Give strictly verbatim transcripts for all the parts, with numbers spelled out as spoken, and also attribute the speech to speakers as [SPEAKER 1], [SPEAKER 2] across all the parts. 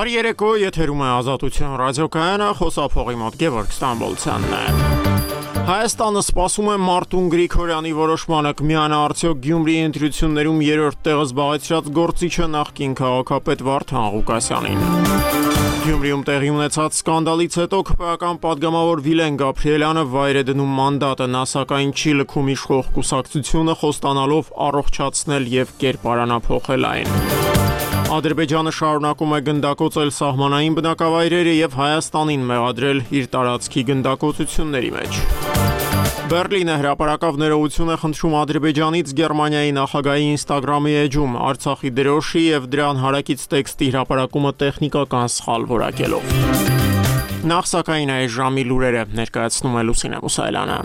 [SPEAKER 1] Բարի երեկո, եթերում է Ազատություն ռադիոկայանը, խոսափողի մոտ Գևորգ Ստամբոլցյանն է։ Հայաստանը սպասում է Մարտուն Գրիգորյանի որոշմանը կմիանա արդյոք Գյումրիի ընտրություններում երրորդ տեղը զբաղեցրած գործիչը նախկին քաղաքապետ Վարդան Ղուկասյանին։ Գյումրիում տեղի ունեցած սկանդալից հետո քպեական падգամավոր Վիլեն Գաբրիելյանը վայր է դնում մանդատը, նա սակայն չի լքում իշխող կուսակցությունը, խոստանալով առողջացնել եւ կերպարանափոխել այն։ Ադրբեջանը շարունակում է գնդակոծել սահմանային բնակավայրերը եւ Հայաստանին մեղադրել իր տարածքի գնդակոծությունների մեջ։ Բերլինը հրապարակավ ներողություն է խնդրում Ադրբեջանից Գերմանիայի նախագահի Instagram-ի էջում Արցախի դրոշի եւ դրան հարակից տեքստի հրապարակումը տեխնիկական սխալ որակելով։ Նախ սակայն այս ժամի լուրերը ներկայացնում է Լուսինե Մուսայելյանը։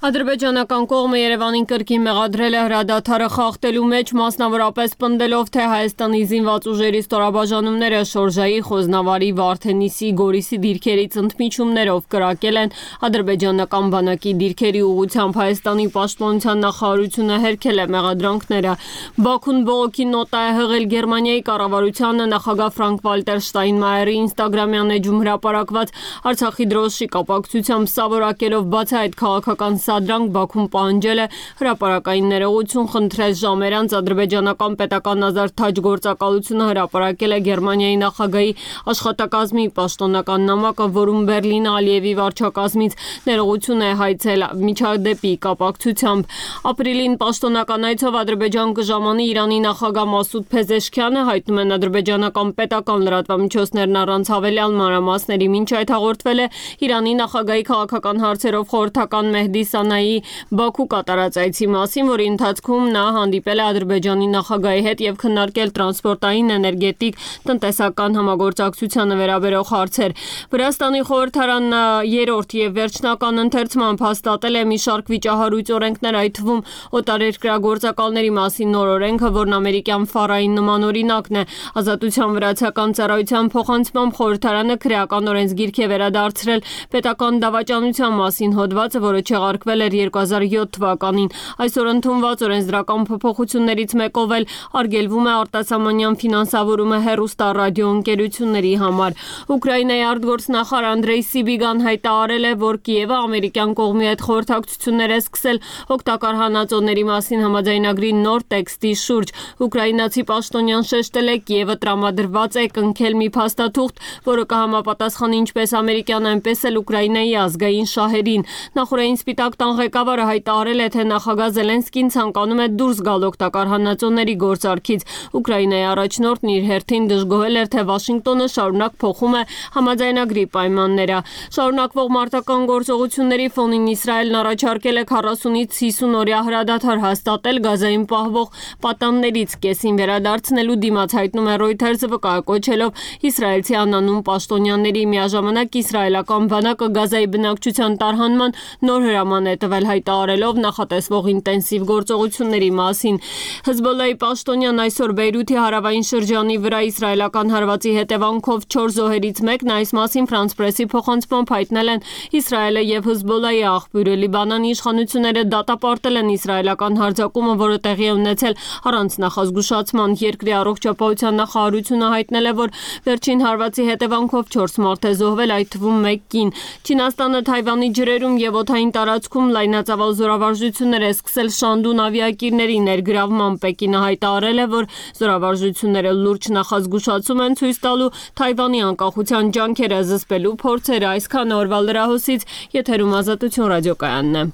[SPEAKER 2] Ադրբեջանական կողմը Երևանին կրկին մեղադրել է հրադադարը խախտելու մեջ, մասնավորապես պնդելով, թե Հայաստանի զինված ուժերի ստորաբաժանումները Շորժայի, Խոզնավարի, Վարդենիսի, Գորիսի դիրքերից ընդմիջումներով կրակել են ադրբեջանական բանակի դիրքերի ուղղությամբ։ Հայաստանի պաշտպանության նախարարությունը հերքել է մեղադրանքները։ Բաքուն բողոքի նոտա է հղել Գերմանիայի կառավարությանը, նախագահ Ֆրանկ-Վալտեր Շտայնմայերի Instagram-յան էջում հրապարակված Արցախի դրոշի կապակցությամբ սա որակելով, բացի այդ քաղաքական Սադրանք Բաքուն պահանջել է հրապարակային ներողություն խնդրել ժամեր անց ադրբեջանական պետական ազատ թաջ գործակալությունը հրապարակել է Գերմանիայի նախագահի աշխատակազմի պաշտոնական նամակը, որում Բերլինը Ալիևի վարչակազմից ներողություն է հայցել միջադեպի կապակցությամբ։ Ապրիլին պաշտոնական այցով Ադրբեջան կժամանի Իրանի նախագահ Մասուդ Փեզեշքյանը, հայտնում են ադրբեջանական պետական լրատվամիջոցներն առանց հավելյալ մանրամասների, մինչ այդ հաղորդվել է Իրանի նախագահի քաղաքական հարցերով խորհրդական Մեհդի Սանայի Բաքու կատարած այցի մասին, որի ընթացքում նա հանդիպել է Ադրբեջանի նախագահի հետ եւ քննարկել տրանսպորտային, էներգետիկ, տնտեսական համագործակցությանը վերաբերող հարցեր։ Վրաստանի խորհրդարանն երրորդ եւ վերջնական ընթերցմամբ հաստատել է մի շարք վիճահարույց օրենքներ, այդ թվում օտարերկրագործակալների մասին նոր օրենքը, որն ամերիկյան ֆարային նման օրինակն է։ Ազատության վրացական ծառայության փոխանցմամբ խորհրդարանը քրեական օրենսգիրք է վերադարձրել պետական դավաճանության մասին հոդվածը, որը չեղարկվել էր երկու հազար յոթ թվականին։ Այսօր ընդունված օրենսդրական փոփոխություններից մեկով էլ արգելվում է արտասահմանյան ֆինանսավորումը հեռուստա ռադիոընկերությունների համար։ Ուկրաինայի արտգործնախարար Անդրեյ Սիբիգան հայտարարել է, որ Կիևը ամերիկյան կողմի հետ խորհրդակցություններ է սկսել օգտակար հանածոների մասին համաձայնագրի նոր տեքստի շուրջ։ Ուկրաինացի պաշտոնյան շեշտել է, Կիևը տրամադրված է կնքել մի փաստաթուղթ, որը կհամապատասխանի ինչպես ամերիկյան, այնպես էլ Ուկրաինայի ազգային շահերին։ Նախորդային Սպիտակ տան ղեկավարը հայտարարել է, թե նախագահ Զելենսկին ցանկանում է դուրս գալ օգտակար հանածոների գործարքից։ Ուկրաինայի առաջնորդն իր հերթին դժգոհել էր, թե Վաշինգտոնը շարունակ փոխում է համաձայնագրի պայմանները։ Շարունակվող մարտական գործողությունների ֆոնին Իսրայելն առաջարկել է քառասունից հիսուն օրյա հրադադար հաստատել Գազայում պահվող պատաններից կեսին վերադարձնելու դիմաց, հայտնում է Reuters-ը, վկայակոչելով իսրայելցի անանուն պաշտոնյաների։ Միաժամանակ իսրայելական բանակը Գազայի բնակչության տարհանման նոր հրաման է տվել, հայտարարելով նախատեսվող ինտենսիվ գործողությունների մասին։ Հեզբոլլահի պաշտոնյան այսօր Բեյրութի հարավային շրջանի վրա իսրայելական հարվածի հետևանքով չորս զոհերից մեկն, այս մասին Ֆրանս Պրեսի փոխանցմամբ հայտնել են Իսրայելը եւ Հեզբոլլահի աղբյուրը։ Լիբանանի իշխանությունները դատապարտել են իսրայելական հարձակումը, որը տեղի է ունեցել առանց նախազգուշացման։ Երկրի առողջապահության նախարարությունը հայտնել է, որ վերջին հարվածի հետևանքով չորս մարդ է զոհվել, այդ թվում մեկ կին։ Չինաստանը Թայվանի ջրերում եւ օդային տարածքում լայնածավալ զորավարժություններ է սկսել Շանդուն ավիակիրների ներգրավման։ Պեկինը հայտարարել է, որ զորավարժությունները լուրջ նախազգուշացում են ցույց տալու Թայվանի անկախության ջանքերը զսպելու փորձերը։ Այսքան օրվա լրահոսից, եթերում Ազատություն ռադիոկայանն է։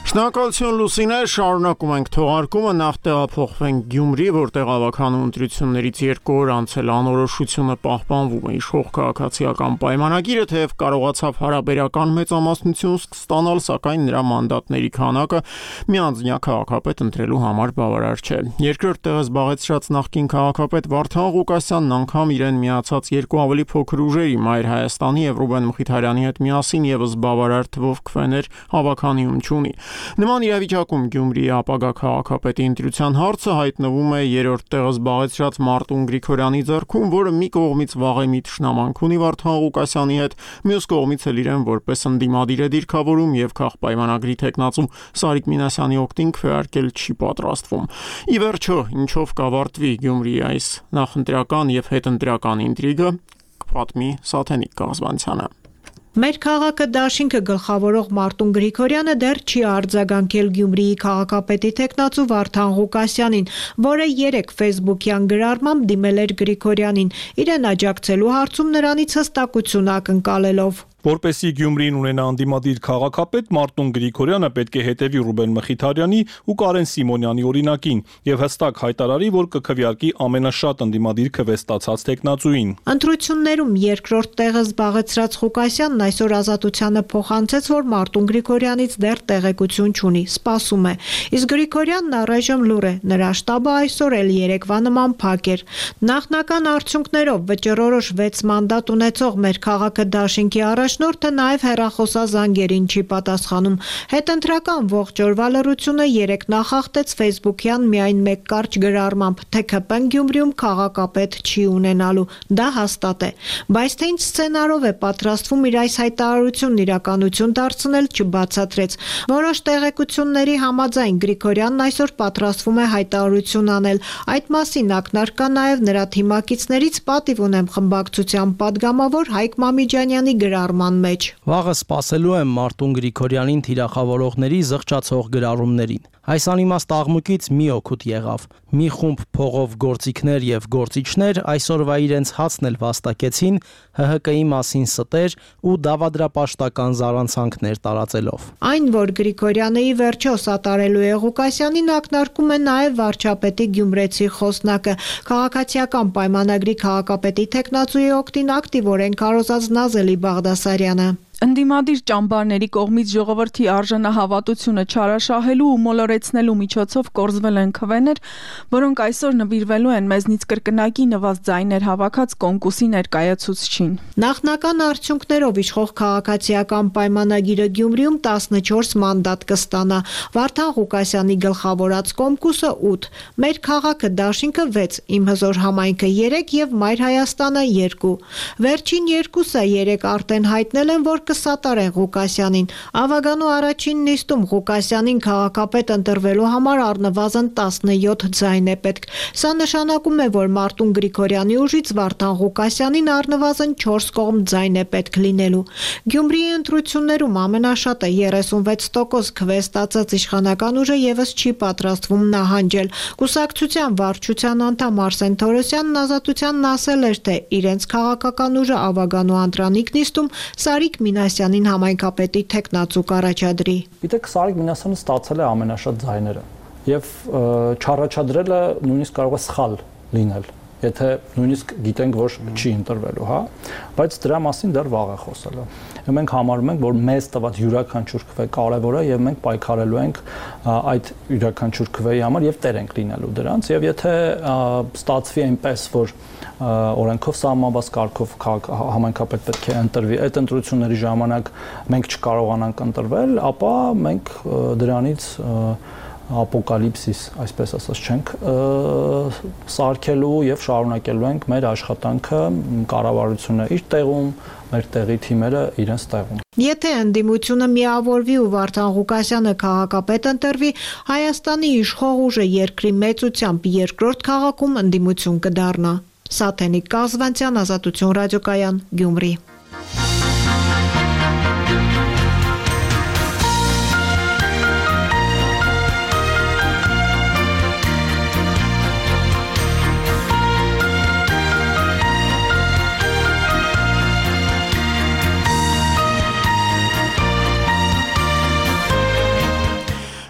[SPEAKER 1] Շնորհակալություն Լուսինե, շարունակում ենք թողարկումը, նախ տեղափոխվենք Գյումրի, որտեղ ավականու ընտրություններից երկու օր անց էլ անորոշությունը պահպանվում է։ Իշխող քաղաքացիական պայմանագիրը թեև կարողացավ հարաբերական մեծամասնություն ստանալ, սակայն նրա մանդատների քանակը միանձնյա քաղաքապետ ընտրելու համար բավարար չէ։ Երկրորդ տեղը զբաղեցրած նախկին քաղաքապետ Վարդան Ղուկասյանն անգամ իրեն միացած երկու ավելի փոքր ուժերի՝ Մայր Հայաստանի եւ Ռուբեն Մխիթարյանի հետ միասին եւս բավարար թվով քվեներ հավաքանիում չունի։ Նման իրավիճակում Գյումրիի ապագա քաղաքապետի ընտրության հարցը հայտնվում է երրորդ տեղը զբաղեցրած Մարտուն Գրիգորյանի ձեռքում, որը մի կողմից վաղեմի թշնամանք ունի Վարդան Ղուկասյանի հետ, մյուս կողմից էլ իրեն որպես ընդդիմադիր է դիրքավորում եւ քաղաքպայմանագրի թեկնածու Սարիկ Մինասյանի օգտին քվեարկել չի պատրաստվում։ Ի վերջո, ինչով կավարտվի Գյումրիի այս նախընտրական եւ հետընտրական ինտրիգը, կպատմի Սաթենիկ Կազմանցյանը։
[SPEAKER 3] Մեր քաղաքը դաշինքը գլխավորող Մարտուն Գրիգորյանը դեռ չի արձագանքել Գյումրիի քաղաքապետի թեկնածու Վարդան Ղուկասյանին, որը երեկ Facebook-յան գրառմամբ դիմել էր Գրիգորյանին, իրեն աջակցելու հարցում նրանից հստակություն ակնկալելով։
[SPEAKER 4] Որպեսզի Գյումրին ունենա անդիմադիր քաղաքապետ, Մարտուն Գրիգորյանը պետք է հետևի Ռուբեն Մխիթարյանի ու Կարեն Սիմոնյանի օրինակին եւ հստակ հայտարարի, որ կքվեարկի ամենաշատ անդիմադիր քվեստացած տեխնացուին։
[SPEAKER 3] Ընտրություններում երկրորդ տեղը զբաղեցրած Ղուկասյանն այսօր Ազատությանը փոխանցեց, որ Մարտուն Գրիգորյանից դեռ տեղեկություն չունի, սպասում է։ Իսկ Գրիգորյանն առայժմ լուռ է, նրա շտաբը այսօր էլ երեկվա նման փակ էր։ Նախնական արդյունքներով վճռորոշ վեց մանդատ ունեցող մեր քաղաքը դաշինքի առաջնորդը նաև հեռախոսազանգերին չի պատասխանում։ Հետընտրական ողջ օրվա լռությունը երեկ նախախտեց Facebook-յան միայն մեկ կարճ գրառմամբ, թե ՔՊ-ն Գյումրիում քաղաքապետ չի ունենալու։ Դա հաստատ է, բայց թե ինչ սցենարով է պատրաստվում իր այս հայտարարությունն իրականություն դարձնել, չբացատրեց։ Որոշ տեղեկությունների համաձայն Գրիգորյանն այսօր պատրաստվում է հայտարարություն անել։ Այդ մասին ակնարկ կա նաև նրա թիմակիցներից, պատիվ ունեմ խմբակցության падգամավոր Հայկ Մամիջանյանի գրառման մեջ։
[SPEAKER 5] Վաղը սպասելու եմ Մարտուն Գրիգորյանին թիրախավորողների զղջացող գրառումներին։ Այս անիմաստ աղմուկից մի օգուտ եղավ։ Մի խումբ փողով գործիքներ եւ գործիչներ այսօրվա իրենց հացն էլ վաստակեցին Հ Հ Կ-ի մասին ստեր ու դավադրապաշտական զառանցանքներ տարածելով։
[SPEAKER 3] Այն, որ Գրիգորյանը ի վերջո սատարելու է Ղուկասյանին, ակնարկում է նաև վարչապետի գյումրեցի խոսնակը։ Քաղաքացիական պայմանագրի քաղաքապետի թեկնածուի օգտին ակտիվորեն քարոզած Նազելի Բաղդասարյանը։
[SPEAKER 6] Ընդդիմադիր ճամբարների կողմից ժողովրդի արժանահավատությունը չարաշահելու ու մոլորեցնելու միջոցով կորզվել են քվեներ, որոնք այսօր նվիրվելու են մեզնից կրկնակի նվազ ձայներ հավաքած կոնկուրսի ներկայացուցչին։
[SPEAKER 3] Նախնական արդյունքներով իշխող քաղաքացիական պայմանագիրը Գյումրիում տասնչորս մանդատ կստանա, Վարդան Ղուկասյանի գլխավորած կոմկուսը ութ, մեր քաղաքը դաշինքը վեց, Իմ հզոր համայնքը երեք եւ Մայր Հայաստանը երկու։ Վերջին երկուսը երեք արդեն հայտնել են, որ կսատարեն Ղուկասյանին։ Ավագանու առաջին նիստում Ղուկասյանին քաղաքապետ ընտրվելու համար առնվազն տասնյոթ ձայն է պետք։ Սա նշանակում է, որ Մարտուն Գրիգորյանի ուժից Վարդան Ղուկասյանին առնվազն չորս կողմ ձայն է պետք լինելու։ Գյումրիի ընտրություններում ամենաշատը երեսունվեց տոկոս քվեստացած իշխանական ուժը եւս չի պատրաստվում նահանջել։ Կուսակցության վարչության անդամ Արսեն Թորոսյանն Ազատությանն ասել էր, թե իրենց քաղաքական ուժը Ավագանու Անդրանիկ նիստում Սարիկ Մինասյանին համայնքապետի թեկնածու կառաջադրի։
[SPEAKER 7] Գիտեք, Սարիկ Մինասյանը ստացել է ամենաշատ ձայները եւ չառաջադրելը նույնիսկ կարող է սխալ լինել, եթե նույնիսկ գիտենք, որ չի ընտրվելու, հա, բայց դրա մասին դեռ վաղ է խոսելը։ Մենք համարում ենք, որ մեզ տված յուրաքանչյուր քվե կարևոր է եւ մենք պայքարելու ենք այդ յուրաքանչյուր քվեի համար եւ տեր ենք լինելու դրանց եւ եթե ստացվի այնպես, որ օրենքով սահմանված կարգով համայնքապետ պետք է ընտրվի, այդ ընտրությունների ժամանակ մենք չկարողանանք ընտրվել, ապա մենք դրանից ապոկալիպսիս, այսպես ասած չենք սարքելու եւ շարունակելու ենք մեր աշխատանքը, կառավարությունը իր տեղում, մեր տեղի թիմերը իրենց տեղում։
[SPEAKER 3] Եթե ընդդիմությունը միավորվի ու Վարդան Ղուկասյանը քաղաքապետ ընտրվի, Հայաստանի իշխող ուժը երկրի մեծությամբ երկրորդ քաղաքում ընդդիմություն կդառնա։ Սաթենիկ Կազվանցյան, Ազատություն ռադիոկայան, Գյումրի։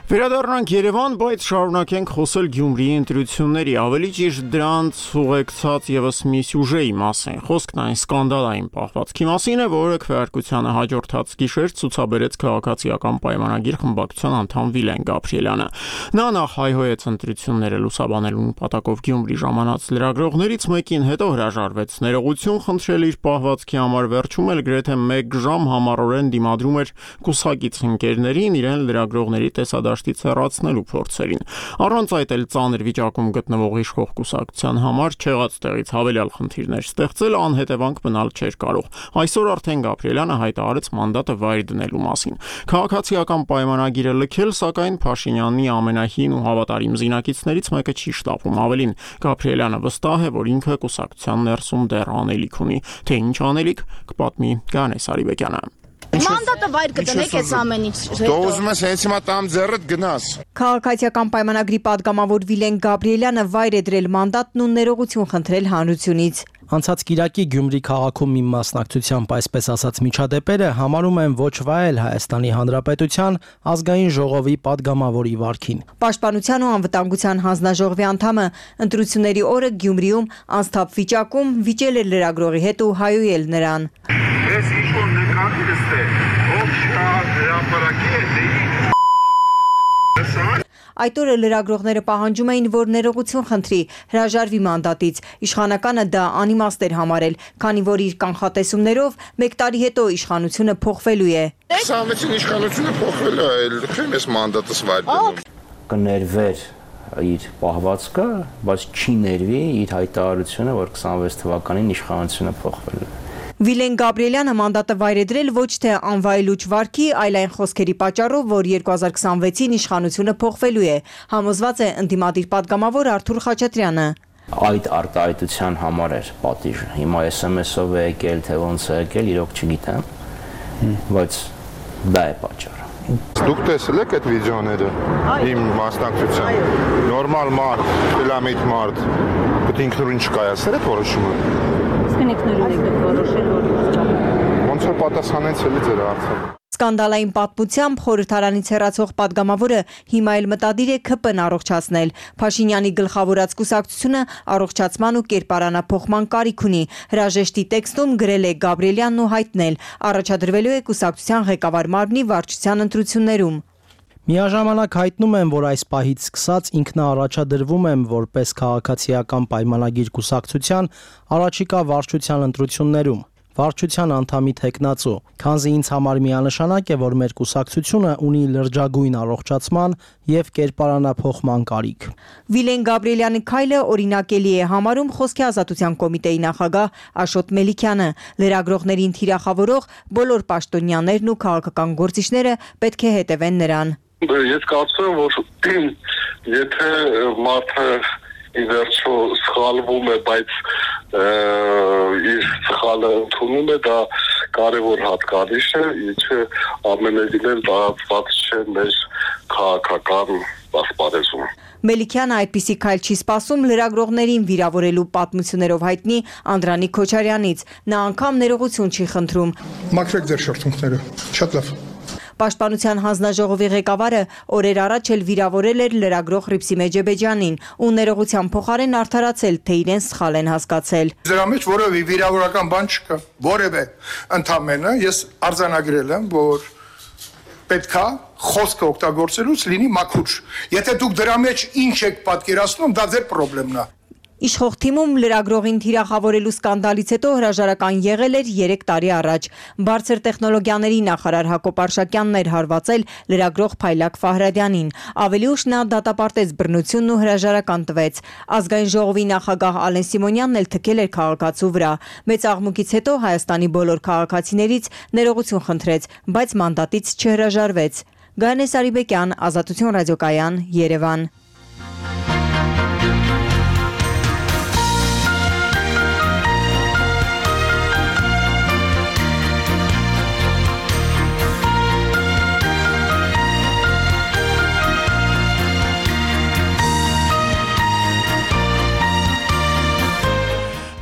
[SPEAKER 1] Վերադառնանք Երևան, բայց շարունակենք խոսել Գյումրիի ընտրությունների, ավելի ճիշտ դրանց ուղեկցած եւս մի սյուժեի մասին։ Խոսքն այն սկանդալային պահվածքի մասին է, որը քվեարկությանը հաջորդած գիշեր ցուցաբերեց քաղաքացիական պայմանագիր խմբակցության անդամ Վիլեն Գաբրիելյանը։ Նա նախ հայհոյեց ընտրությունները լուսաբանելու նպատակով Գյումրի ժամանած լրագրողներից մեկին, հետո հրաժարվեց ներողություն խնդրել իր պահվածքի համար, վերջում էլ գրեթե մեկ ժամ համառորեն դիմադրում էր կուսակից ընկերներին իրեն լրագրողների տեսադաշտից հեռացնելու փորձերին։ Առանց այդ էլ ծանր վիճակում գտնվող իշխող կուսակցության համար չեղած տեղից հավելյալ խնդիրներ ստեղծել անհետևանք մնալ չէր կարող։ Այսօր արդեն Գաբրիելյանը հայտարարեց մանդատը վայր դնելու մասին։ Քաղաքացիական պայմանագիրը լքել, սակայն Փաշինյանի ամենահին ու հավատարիմ զինակիցներից մեկը չի շտապում։ Ավելին, Գաբրիելյանը վստահ է, որ ինքը կուսակցության ներսում դեռ անելիք ունի, թե ինչ անելիք կպատմի Գանես Արիբեկյանը։
[SPEAKER 8] Մանդատը վայր կտնեք այս ամեն ինչ։
[SPEAKER 9] Դու ուզում ես հենց հիմա տամ ձեռդ գնաս։
[SPEAKER 10] Քաղաքացիական պայմանագրի падգամավոր Վիլեն Գաբրիելյանը վայր է դրել մանդատն ու ներողություն խնդրել հանրությունից։
[SPEAKER 5] Անցած կիրակի Գյումրի քաղաքում մի մասնակցությամբ այսպես ասած միջադեպերը համարում են ոչ վայել Հայաստանի Հանրապետության ազգային ժողովի падգամավորի վարքին։
[SPEAKER 10] Պաշտպանության ու անվտանգության հանձնաժողովի անդամը ընտրությունների օրը Գյումրիում անսթափ վիճակում վիճել էր լրագրողի հետ ու հայոյել նրան։
[SPEAKER 9] Ես ինչ-որ նկարիլս է, ով շա հրապարակի է դեի։
[SPEAKER 10] Այդ օրը լրագրողները պահանջում էին, որ ներողություն խնդրի, հրաժարվի մանդատից։ Իշխանականը դա անիմաստ էր համարել, քանի որ իր կանխատեսումներով մեկ տարի հետո իշխանությունը փոխվելու է։
[SPEAKER 9] քսանվեցին իշխանությունը փոխվել է, լքեմ ես մանդատս վայր դնում։
[SPEAKER 11] Կներվեր իր պահվածքը, բայց չի ներվի իր հայտարարությունը, որ քսանվեց թվականին իշխանությունը փոխվել է։
[SPEAKER 10] Վիլեն Գաբրիելյանը մանդատը վայր է դրել ոչ թե անվայելուչ վարքի, այլ այն խոսքերի պատճառով, որ երկու հազար քսանվեցին իշխանությունը փոխվելու է, համոզված է ընդդիմադիր падգամավոր Արթուր Խաչատրյանը։
[SPEAKER 11] Այդ արտահայտության համար էր պատիժը։ Հիմա էս էմ էս-ով է եկել, թե ոնց է եկել, իրոք չգիտեմ, բայց դա է պատճառը։
[SPEAKER 9] Դուք տեսել եք այդ վիդեոները իմ մասնակցության։ Նորմալ մարդ, ֆիլամիտ մարդ, պետք է ինքնուրույն չկայացներ այդ որոշումը։
[SPEAKER 10] Ինքնուրույն եք որոշել, որ
[SPEAKER 9] ոնց որ պատասխանեցել է ձեր հարցը։
[SPEAKER 10] Սկանդալային պատմությամբ խորհրդարանից հեռացող падգամավորը հիմա էլ մտադիր է ՔՊ-ն առողջացնել։ Փաշինյանի գլխավորած կուսակցությունը առողջացման ու կերպարանափոխման կարիք ունի։ Հրաժեշտի տեքստում գրել է Գաբրիելյանն ու հայտնել, առաջադրվելու է կուսակցության ղեկավար մարմնի վարչության ընտրություններում։
[SPEAKER 5] Միաժամանակ հայտնում են, որ այս պահից սկսած ինքնաառաջադրվում եմ որպես քաղաքացիական պայմանագիր կուսակցության առաջիկա վարչության ընտրություններում, վարչության անդամի թեկնածու, քանզի ինձ համար միանշանակ է, որ մեր կուսակցությունը ունի լրջագույն առողջացման եւ կերպարանափոխման կարիք։
[SPEAKER 10] Վիլեն Գաբրիելյանի քայլը օրինակելի է համարում Խոսքի ազատության կոմիտեի նախագահ Աշոտ Մելիքյանը։ Լրագրողներին թիրախավորող բոլոր պաշտոնյաներն ու քաղաքական գործիչները պետք է հետևեն նրան։
[SPEAKER 12] Ես կարծում եմ, որ եթե մարդը ի վերջո սխալվում է, բայց իր սխալը ընդունում է, դա կարևոր հատկանիշ է, ինչը ամենևին էլ տարածված չէ մեր քաղաքական ասպարեզում։
[SPEAKER 10] Մելիքյանը այդպիսի քայլ չի սպասում լրագրողներին վիրավորելու պատմություններով հայտնի Անդրանիկ Քոչարյանից։ Նա անգամ ներողություն չի խնդրում։
[SPEAKER 13] Մաքրեք ձեր շրթունքները, շատ լավ։
[SPEAKER 10] Պաշտպանության հանձնաժողովի ղեկավարը օրեր առաջ էլ վիրավորել էր լրագրող Ռիփսիմե Ջեբեջյանին ու ներողության փոխարեն արդարացել, թե իրեն սխալ են հասկացել։
[SPEAKER 13] Դրա մեջ որևէ վիրավորական բան չկա, որևէ ընդամենը ես արձանագրել եմ, որ պետքա խոսքը օգտագործելուց լինի մաքուր։ Եթե դուք դրա մեջ ինչ եք պատկերացնում, դա ձեր խնդիրն է։
[SPEAKER 10] Իշխող թիմում լրագրողին թիրախավորելու սկանդալից հետո հրաժարական եղել էր երեք տարի առաջ։ Բարձր տեխնոլոգիաների նախարար Հակոբ Արշակյանն էր հարվածել լրագրող Փայլակ Ֆահրադյանին։ Ավելի ուշ նա դատապարտեց բռնությունն ու հրաժարական տվեց։ Ազգային ժողովի նախագահ Ալեն Սիմոնյանն էլ թքել էր քաղաքացու վրա։ Մեծ աղմուկից հետո Հայաստանի բոլոր քաղաքացիներից ներողություն խնդրեց, բայց մանդատից չհրաժարվեց։ Գանես Արիբեկյան, Ազատություն ռադիոկայան, Երևան։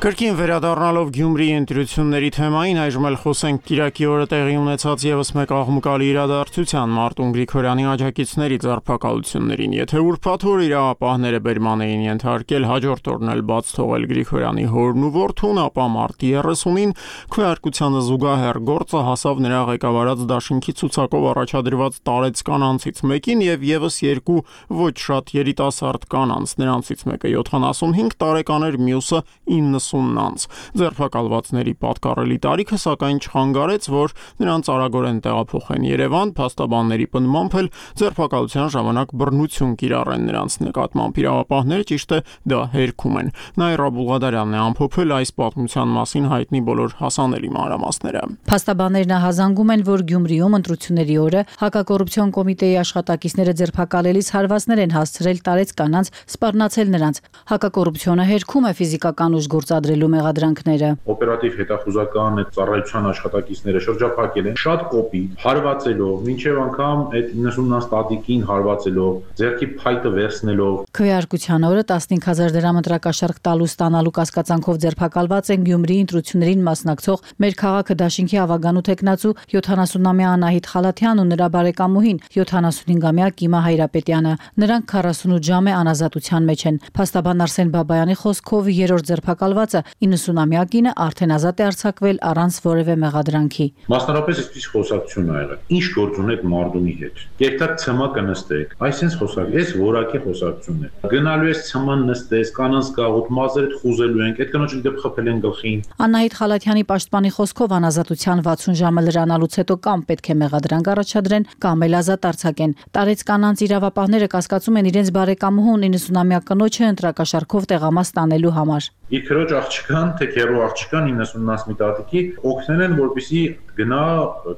[SPEAKER 1] Կրկին վերադառնալով Գյումրիի ընտրությունների թեմային, այժմ էլ խոսենք Կիրակի օրը տեղի ունեցած եւս մեկ աղմկալի իրադարձության՝ Մարտուն Գրիգորյանի աջակիցների ձերբակալություններին։ Եթե ուրբաթ օր իրավապահները բերման էին ենթարկել, հաջորդ օրն էլ բաց թողել Գրիգորյանի հորն ու որդուն, ապա մարտի երեսունին քվեարկությանը զուգահեռ գործը հասավ նրա ղեկավարած դաշինքի ցուցակով առաջադրված տարեց կանանցից մեկին եւ եւս երկու ոչ շատ երիտասարդ կանանց, նրանցից մեկը յոթանասունհինգ տարեկան էր, մյուսը իննսուն անց։ Ձերբակալվածների պատկառելի տարիքը սակայն չխանգարեց, որ նրանց արագորեն տեղափոխեն Երևան, փաստաբանների պնդմամբ էլ ձերբակալության ժամանակ բռնություն կիրառեն նրանց նկատմամբ։ Իրավապահները ճիշտ է դա հերքում են։ Նաիրա Բուլղադարյանն է ամփոփել այս պատմության մասին հայտնի բոլոր հասանելի մանրամասները։
[SPEAKER 14] Փաստաբաններն հազանգում են, որ Գյումրիում ընտրությունների օրը հակակոռուպցիոն կոմիտեի աշխատակիցները ձերբակալելիս հարվածներ են հասցրել տարեց կանանց, սպառնացել նրանց։ Հակակոռուպցիոնը հերքում է ֆիզիկական ուժ գործադրելու մեղադրանքները։
[SPEAKER 15] Օպերատիվ հետախուզական այդ ծառայության աշխատակիցները շրջափակել են շատ կոպիտ, հարվածելով, մինչև անգամ այդ իննսուննանց տատիկին հարվածելով, ձեռքի փայտը վերցնելով։
[SPEAKER 14] Քվեարկության օրը տասնհինգ հազար դրամ ընտրակաշարք տալու ստանալու կասկածանքով ձերբակալված են Գյումրիի ընտրություններին մասնակցող մեր քաղաքը դաշինքի ավագանու տեխնացու յոթանասունամյա Անահիտ Խալաթյանն ու նրա բարեկամուհին յոթանասունհինգամյա Կիմա Հայրապետյանը։ Նրանք քառասունութ ժամ է անազատության մեջ են։ Փաստաբան Արսեն Բաբայանի խոսքով երրորդ ձերբակալվածը իննսունամյա կինը արդեն ազատ է արձակվել առանց որևէ մեղադրանքի։
[SPEAKER 15] Մասնարապես այսպես խոսակցություն ա եղել։ Ինչ գործ ունեք Մարդունի հետ։ Երբ ցմա կնստեք, այսինքն խոսակ, այս որակի խոսակցությունն է։ Գնալու ես ցման նստես, կանանց գաղութ մազերդ խուզելու ենք, այդ կնոջը դեպ խփել են գլխին։
[SPEAKER 14] Անահիտ Խալաթյանի պաշտպանի խոսքով անազատության վաթսուն ժամը լրանալուց հետո կամ պետք է մեղադրանք առաջադրեն, կամ էլ ազատ արձակեն։ Տարեց կանանց իրավապահները կասկածում են իրենց բարեկամուհուն իննսունամյա կնոջը ընտրակաշարքով տեղամաս տանելու համար։
[SPEAKER 15] Իր քրոջ աղջկան, թե քերու աղջկան իննսուննանց մի տատիկի օգնել են, որպեսզի գնա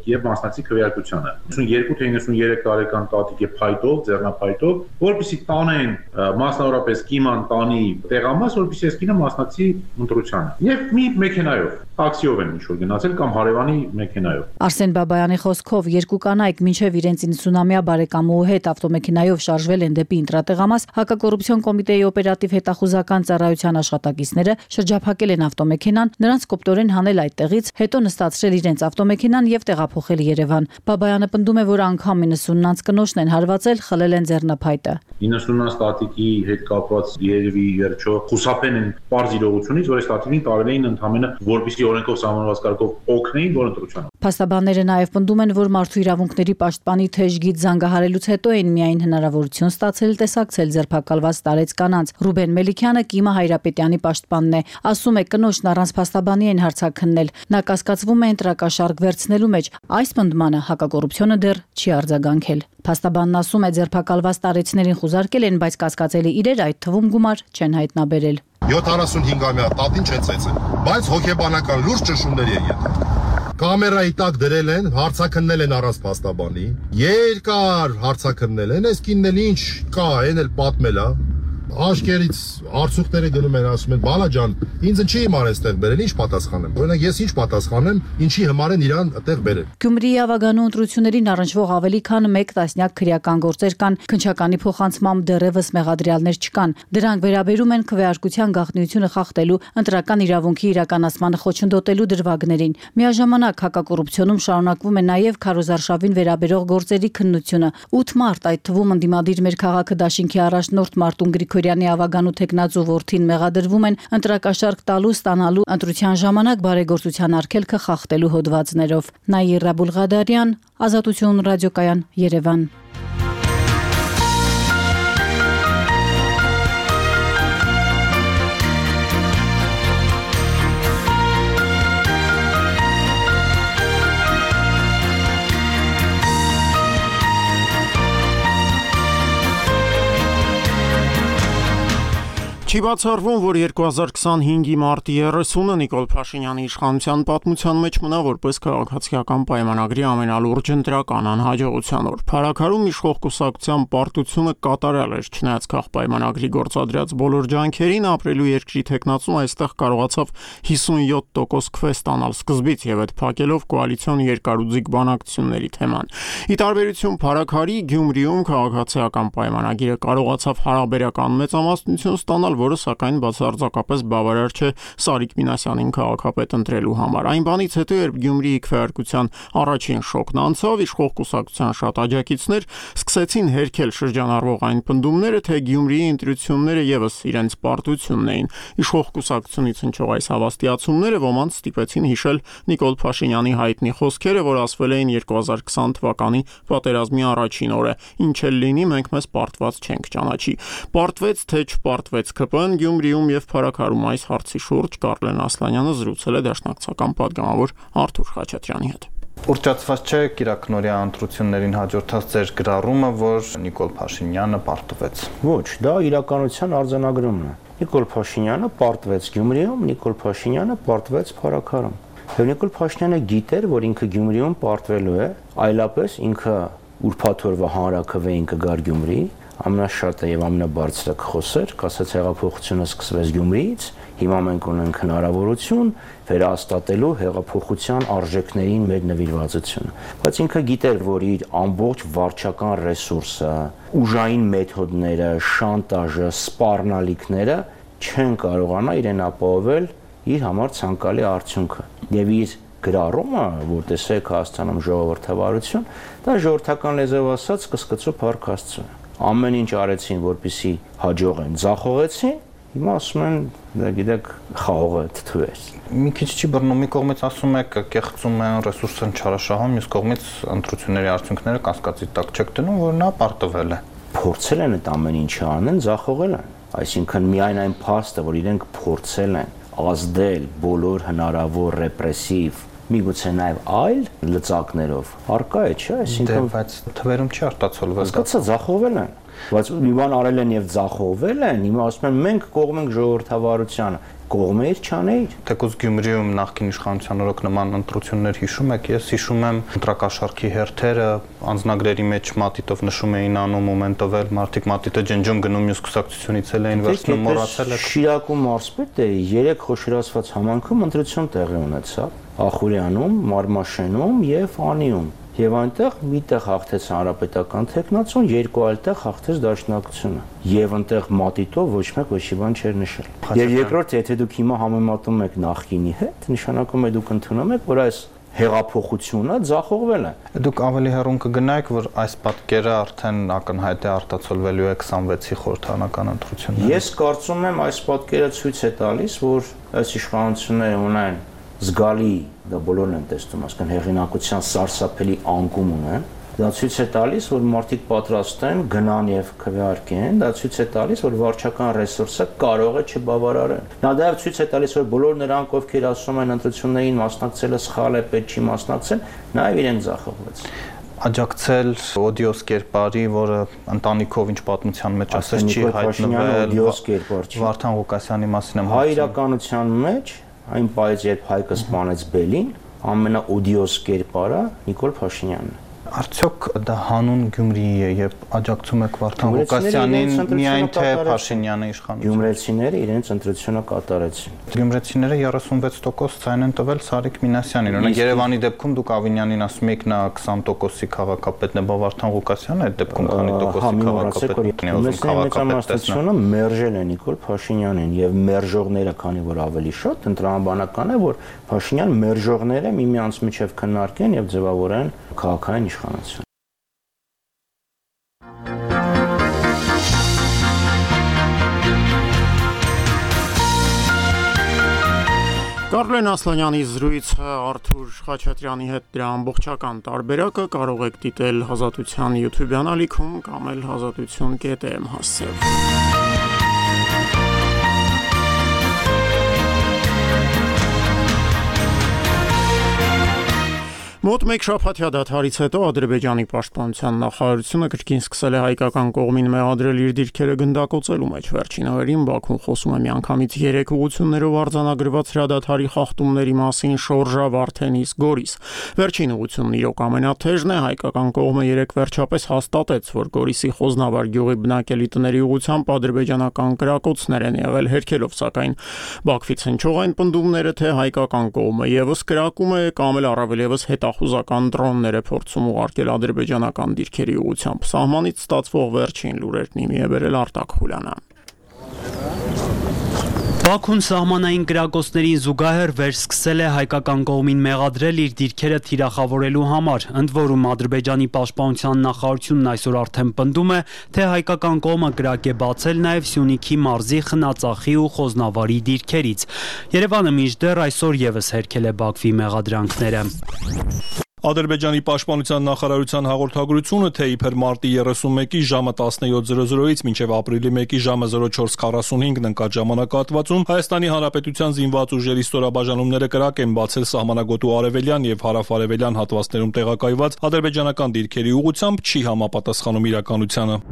[SPEAKER 15] եւ մասնակցի քվեարկությանը։ ութսունյոթ թե իննսունյուրեք տարեկան տատիկի փայտով, ձեռնափայտով, որպեսզի տանեն մասնավորապես Կիման տանի տեղամաս, որպեսզի այս կինը մասնակցի ընտրությանը։ Եվ մի մեքենայով, տաքսիով են ինչ-որ գնացել կամ հարևանի մեքենայով։
[SPEAKER 14] Արսեն Բաբայանի խոսքով երկու կանայք մինչև իրենց իննսունամյա բարեկամուհու հետ ավտոմեքենայով շարժվել են դեպի ընտրատեղամաս, հակակոռուպցիոն կոմիտեի օպերատիվ հետախուզական ծառայության աշխատակիցները շրջափակել են ավտոմեքենան, նրանց կոպտորեն հանել այդտեղից, հետո նստացրել իրենց ավտոմեքենան եւ տեղափոխել Երևան։ Բաբայանը պնդում է, որ անգամ իննսուննանց կնոջն են հարվածել, խլել են ձեռնափայտը։
[SPEAKER 15] իննսուննանց տատիկի հետ կապված երևի վերջո խուսափեն են པարզ իրողությունից, որ այս տատիկին տարել էին ընդամենը որպեսզի օրենքով սահմանված կարգով օգնեին, որ ընտրությանը։
[SPEAKER 14] Փաստաբանները նաև պնդում են, որ մարդու իրավունքների պաշտպանի թեժ գիծ զանգահարելուց հետո են միայն հնարավորություն ստացել տեսակցել ձերբակալված տարեց կանանց։ Ռուբեն Մելիքյանը Կիմա Հայրապետյանի պաշտպանն է, ասում է կնոջն առանց փաստաբանի են հարցաքննել։ Նա կասկածվում է ընտրակաշարք վերցնելու մեջ։ Այս պնդմանը հակակոռուպցիոնը դեռ չի արձագանքել։ Փաստաբանն ասում է ձերբակալված տարեցներին խուզարկել են, բայց կասկածելի իրեր, այդ թվում գումար, չեն հայտնաբերել։
[SPEAKER 16] յոթանասունհինգամյա տատին չեն ծեծել, բայց հոգեբանական լուրջ ճշումների են եղել։ Կամերայի տակ դրել են, հարցաքննել են առանց փաստաբանի, երկար հարցաքննել են, այս կինն էլ ինչ կա, այն էլ պատմել է։ Աշկերից արցուկները գնում են, ասում են բալա ջան, ինձ չի իմար այստեղ բերել, ինչ պատասխանեմ։ Օրինակ ես ինչ պատասխանեմ, ինչի համար են իրան այդտեղ բերել։
[SPEAKER 14] Գյումրիի ավագանու ընտրություններին առնչվող ավելի քան մեկ տասնյակ քրեական գործեր կան, քննչականի փոխանցմամբ դեռևս մեղադրյալներ չկան։ Դրանք վերաբերում են քվեարկության գաղտնիությունը խախտելու, ընտրական իրավունքի իրականացմանը խոչընդոտելու դրվագներին։ Միաժամանակ հակակոռուպցիոնում շարունակվում է նաև քարոզարշավին վերաբերող գործերի քննությունը։ ութ մարտ, այդ թվում ընդդիմադիր մեր քաղաքը դաշինքի առաջնորդ Մարտուն Գրիգորյանի ավագանու տեխնացու որդին մեղադրվում են ընտրակաշարք տալու, ստանալու, ընտրության ժամանակ բարեգործության արգելքը խախտելու հոդվածներով։ Նաիրա Բուլղադարյան, Ազատություն ռադիոկայան, Երևան։
[SPEAKER 1] Չի բացառվում, որ երկու հազար քսանհինգի մարտի երեսունը Նիկոլ Փաշինյանի իշխանության պատմության մեջ մնա որպես քաղաքացիական պայմանագրի ամենալուրջ ընտրական անհաջողության օր։ Փառաքարում իշխող կուսակցության պարտությունը կատարյալ էր, չնայած քաղպայմանագրի գործադրած բոլոր ջանքերին, ապրելու երկրի տեխնացուն այստեղ կարողացավ հիսունյոթ տոկոս քվե ստանալ սկզբից եւ այդ փակելով կոալիցիոն երկարուձիգ բանակցությունների թեման։ Ի տարբերություն Փառաքարի, Գյումրիում քաղաքացիական պայմանագիրը կարողացավ հարաբերական մեծամասնություն ստանալ, որը սակայն բացարձակապես բավարար չէ Սարիկ Մինասյանին քաղաքապետ ընտրելու համար։ Այն բանից հետո, երբ Գյումրիի քվեարկության առաջին շոկն անցավ, իշխող կուսակցության շատ աջակիցներ սկսեցին հերքել շրջանառվող այն պնդումները, թե Գյումրիի ընտրությունները եւս իրենց պարտությունն էին։ Իշխող կուսակցությունից հնչող այս հավաստիացումները ոմանց ստիպեցին հիշել Նիկոլ Փաշինյանի հայտնի խոսքերը, որ ասվել էին երկու հազար քսան թվականի պատերազմի առաջին օրը. «Ինչ էլ լինի, մենք մեզ պարտված չենք ճանաչի»։ Պարտվեց թե չպարտվեց ՔՊ-ն Գյումրիում եւ Փարաքարում այս հարցի շուրջ Կարլեն Ասլանյանը զրուցել է դաշնակցական պատգամավոր Արթուր Խաչատրյանի հետ։
[SPEAKER 17] Ուռճացված չէ Կիրակնորյա ընտրություններին հաջորդած ձեր գրառումը, որ Նիկոլ Փաշինյանը պարտվեց։
[SPEAKER 11] Ոչ, դա իրականության արձանագրումն է։ Նիկոլ Փաշինյանը պարտվեց Գյումրիում, Նիկոլ Փաշինյանը պարտվեց Փարաքարում։ Եվ Նիկոլ Փաշինյանը գիտեր, որ ինքը Գյումրիում պարտվելու է, այլապես ինքը ուրբաթ օրվա հանրաքվեին կգար Գյումրի, ամենաշատը եւ ամենաբարձրը կխոսեր, կասեց հեղափոխությունը սկսվեց Գյումրիից, հիմա մենք ունենք հնարավորություն վերահաստատելու հեղափոխության արժեքներին մեր նվիրվածությունը։ Բայց ինքը գիտեր, որ իր ամբողջ վարչական ռեսուրսը, ուժային մեթոդները, շանտաժը, սպառնալիքները չեն կարողանա իրեն ապահովել իր համար ցանկալի արդյունքը։ Եվ իր գրառումը, որ տեսեք Հայաստանում ժողովրդավարություն, դա ժողովրդական լեզվով ասած կսկծու փառք Աստծո։ Ամեն ինչ արեցին, որպեսզի հաջողեն, ձախողեցին, հիմա ասում են, դա գիտեք, խաղողը թթուեր։
[SPEAKER 17] Մի քիչ չի բռնում, մի կողմից ասում եք կեղծում են, ռեսուրսն չարաշահում, մյուս կողմից ընտրությունների արդյունքները կասկածի տակ չեք դնում, որ նա պարտվել է։
[SPEAKER 11] Փորձել են այդ ամեն ինչը անեն, ձախողել են։ Այսինքն միայն այն փաստը, որ իրենք փորձել են ազդել բոլոր հնարավոր ռեպրեսիվ, միգուցե նաև այլ լծակներով, արկա է, չէ՞,
[SPEAKER 17] այսինքն բայց թվերում չի արտացոլվել։
[SPEAKER 11] Հասկացա, ձախողվել են։ Բայց մի բան արել են եւ ձախողվել են, հիմա ասում են մենք կողմ ենք ժողովրդավարությանը, կողմեր չանեիր։
[SPEAKER 17] Թեկուզ Գյումրիում նախկին իշխանության օրոք նման ընտրություններ հիշում եք, ես հիշում եմ ընտրակաշառքի հերթերը, անձնագրերի մեջ մատիտով նշում էին անում մոմենտով էլ մարդիկ մատիտը ջնջում գնում մյուս կուսակցությունից էլ էին վերցնում, մոռացել եք։
[SPEAKER 11] Շիրակում մարզպետը երեք խոշորացված համանքում ընտրություն տեղի ունեցավ Ախուրյանում, Մարմաշենում եւ Անիում։ Եվ այնտեղ միտեղ հաղթեց հանրապետական թեկնածուն, երկու այլ տեղ հաղթեց դաշնակցությունը։ Եվ այնտեղ մատիտով ոչ մեկ ոչի բան չէր նշել։ Եվ երկրորդ, եթե դուք հիմա համեմատում եք նախկինի հետ, նշանակում է դուք ընդունում եք, որ այս հեղափոխությունը ձախողվել է։
[SPEAKER 17] Դուք ավելի հեռուն կգնայիք, որ այս պատկերը արդեն ակնհայտ է արտացոլվելու է քսանվեցի խորհրդարանական ընտրություններում։
[SPEAKER 11] Ես կարծում եմ, այս պատկերը ցույց է տալիս, որ այս իշխանությունները ունեն զգալի, դա բոլորն են տեսնում, ասկան հեղինակության սարսափելի անկում ունեն, դա ցույց է տալիս, որ մարդիկ պատրաստ են գնան եւ քվեարկեն, դա ցույց է տալիս, որ վարչական ռեսուրսը կարող է չբավարարել։ Դա դեռ ցույց է տալիս, որ բոլոր նրանք, ովքեր ասում են ընտրություններին մասնակցելը սխալ է, պետք չի մասնակցել, նաեւ իրեն ձախողվեց։
[SPEAKER 17] Աջակցել օդիոս կերպարի, որը ընտանիքով ինչ պատմության մեջ ասես չի հայտնվել, Վարդան Ղուկասյանի մասին եմ
[SPEAKER 11] հայ իրականության մեջ այն պայծ, երբ Հայկը սպանեց Բելին, ամենաօդիոս կերպարը Նիկոլ Փաշինյանն է։
[SPEAKER 17] Արդյոք դա հանուն Գյումրիի է, երբ աջակցում եք Վարդան Ղուկասյանին, միայն թե Փաշինյանը իշխանություն։
[SPEAKER 11] Գյումրեցիները իրենց ընտրությունը կատարեցին։
[SPEAKER 17] Գյումրեցիները երեսունվեց տոկոս ցայն են տվել Սարիկ Մինասյանին։ Օրինակ Երևանի դեպքում դուք Ավինյանին ասում եք նա քսան տոկոսի քաղաքապետն է, բա Վարդան Ղուկասյանը այդ դեպքում քանի տոկոսի քաղաքապետն է, ուզում քաղաքապետ տեսնել։
[SPEAKER 11] Մերժել է Նիկոլ Փաշինյանին եւ մերժողները, քանի որ ավելի շատ, ընտրաբանական է, որ Փաշինյան մերժողները միմյանց միջև քննարկեն եւ ձևավորեն քաղաքային իշխանություն։
[SPEAKER 1] Կարլեն Ասլանյանի զրույցը Արթուր Խաչատրյանի հետ դրա ամբողջական տարբերակը կարող եք դիտել Ազատության YouTube-յան ալիքում կամ էլ ազատություն կետ եմ հասցրել։ Մոտ մեկ շաբաթյա դադարից հետո Ադրբեջանի պաշտպանության նախարարությունը կրկին սկսել է հայկական կողմին մեղադրել իր դիրքերը գնդակոծելու մեջ։ Վերջին օրերին Բաքուն խոսում է միանգամից երեք ուղղություններով արձանագրված հրադադարի խախտումների մասին Շորժա, Վարդենիս, Գորիս։ Վերջին ուղղությունն իրոք ամենաթեժն է, հայկական կողմը երեք վերջապես հաստատեց, որ Գորիսի Խոզնավար գյուղի բնակելի տների ուղղությամբ ադրբեջանական կրակոցներ են եղել, հերքելով սակայն Բաքվից հնչող այն պնդումները, թե հայկական կողմը եւս կրակում է կամ էլ առավել եւս հետախուզական դրոններ է փորձում ուղարկել ադրբեջանական դիրքերի ուղղությամբ։ Սահմանից ստացվող վերջին լուրերն իմի է բերել Արտակ Խուլյանը։
[SPEAKER 18] Բաքուն սահմանային կրակոցներին զուգահեռ վերսկսել է հայկական կողմին մեղադրել իր դիրքերը թիրախավորելու համար, ընդ որում Ադրբեջանի պաշտպանության նախարարությունն այսօր արդեն պնդում է, թե հայկական կողմը կրակ է բացել նաև Սյունիքի մարզի Խնածախի ու Խոզնավարի դիրքերից։ Երևանը մինչդեռ այսօր ևս հերքել է Բաքվի մեղադրանքները։
[SPEAKER 4] Ադրբեջանի պաշտպանության նախարարության հաղորդագրությունը, թե իբր մարտի երեսունմեկի ժամը տասնյոթ զրո զրոից մինչև ապրիլի մեկի ժամը զրո չորս քառասունհինգ ընկած ժամանակահատվածում Հայաստանի Հանրապետության զինված ուժերի ստորաբաժանումները կրակ են բացել սահմանագոտու արևելյան եւ հարավ-արևելյան հատվածներում տեղակայված ադրբեջանական դիրքերի ուղղությամբ չի համապատասխանում իրականությանը։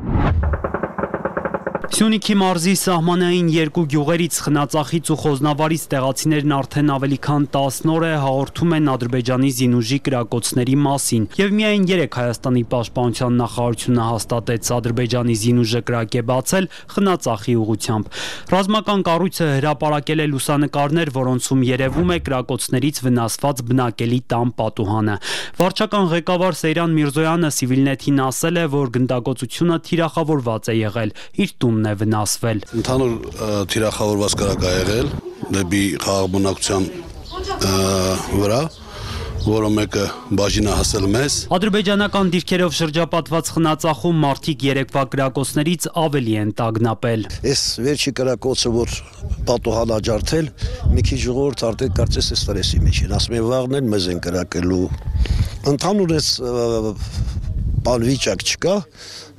[SPEAKER 18] Սյունիքի մարզի սահմանային երկու գյուղերից Խնածախից ու Խոզնավարից տեղացիներն արդեն ավելի քան տասն օր է հաղորդում են Ադրբեջանի զինուժի կրակոցների մասին, եւ միայն երեք Հայաստանի պաշտպանության նախարարությունը հաստատեց Ադրբեջանի զինուժը կրակ է բացել Խնածախի ուղղությամբ։ Ռազմական կառույցը հրապարակել է լուսանկարներ, որոնցում երևում է կրակոցներից վնասված բնակելի տան պատուհանը։ Վարչական ղեկավար Սեյրան Միրզոյանը Civilnet-ին ասել է, որ գնդակոծությունը թիրախավորված է եղել, իր տունն է վնասվել։
[SPEAKER 19] Ընդհանուր թիրախավորված կրակ է եղել դեպի խաղաղբնակության վրա, որը մեկը բաժին է հասել մեզ։
[SPEAKER 18] Ադրբեջանական դիրքերով շրջապատված Խնածախում մարդիկ երեկվա կրակոցներից ավելի են տագնապել։
[SPEAKER 20] Այս վերջի կրակոցը, որ պատուհան աջարդել, մի քիչ ժողովուրդ արդեն կարծես է ստրեսի մեջ են, ասում են վաղն են մեզ են կրակելու։ Ընդհանուր այս բանվիճակ չկա,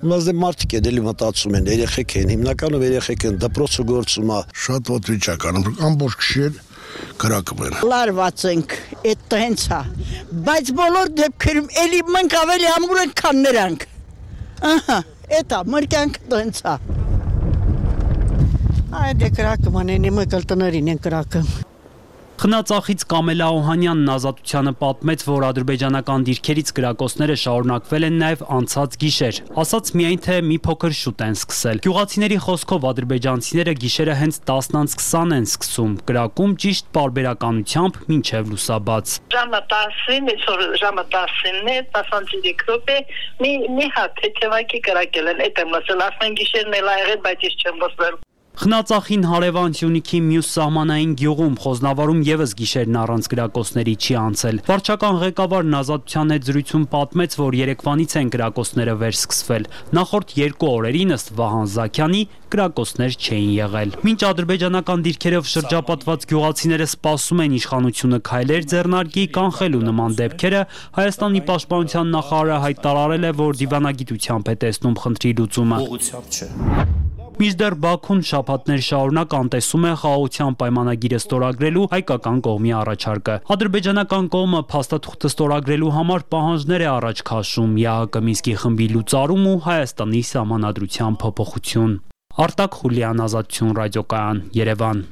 [SPEAKER 20] բայց դե մարդիկ են էլի մտածում են, երեխեք են, հիմնականում երեխեք են, դպրոցը գործում է։
[SPEAKER 21] Շատ ոտ վիճակ անում, ամբողջ գիշեր կրակում են։
[SPEAKER 22] Լարված ենք, այդ հենց է, բայց բոլոր դեպքերում էլի մենք ավելի ամուր ենք, քան նրանք։ Ահա, այդ է, մեր կյանքը հենց է։ Այդ է կրակում անեն, իմ կլտներին են կրակում։
[SPEAKER 18] Խնածախից Կամելա Օհանյանն Ազատությանը պատմեց, որ ադրբեջանական դիրքերից կրակոցները շարունակվել են նաև անցած գիշեր, ասաց միայն թե մի փոքր շուտ են սկսել։ Գյուղացիների խոսքով ադրբեջանցիները գիշերը հենց տասնից քսան են սկսում, կրակում ճիշտ պարբերականությամբ մինչև լուսաբաց։
[SPEAKER 22] Ժամը տասին, այսօր ժամը տասինն է, տասնցիրեք րոպե, մի մի հատ թեթևակի կրակել են, այդ եմ լսել, ասեն գիշերն էլ ա եղել, բայց ես չեմ լսել։
[SPEAKER 18] Խնածախին հարևան Սյունիքի մյուս սահմանային գյուղում Խոզնավարում եւս գիշերն առանց կրակոցների չի անցել։ Վարչական ղեկավարն Ազատության հետ զրույցում պատմեց, որ երեկվանից են կրակոցները վերսկսվել։ Նախորդ երկու օրերին ըստ Վահան Զաքյանի կրակոցներ չէին եղել։ Մինչ ադրբեջանական դիրքերով շրջապատված գյուղացիները սպասում են իշխանությունը քայլեր ձեռնարկի կանխելու նման դեպքերը, Հայաստանի պաշտպանության նախարարը հայտարարել է, որ դիվանագիտությամբ է տեսնում խնդրի լուծումը։ Ուղղությամբ չէ։ Մինչդեռ Բաքուն շաբաթներ շարունակ անտեսում է խաղաղության պայմանագիրը ստորագրելու հայկական կողմի առաջարկը։ Ադրբեջանական կողմը փաստաթուղթը ստորագրելու համար պահանջներ է առաջ քաշում՝ ԵԱՀԿ Մինսկի խմբի լուծարում ու Հայաստանի սահմանադրության փոփոխություն։ Արտակ Խուլյան, Ազատություն ռադիոկայան, Երևան։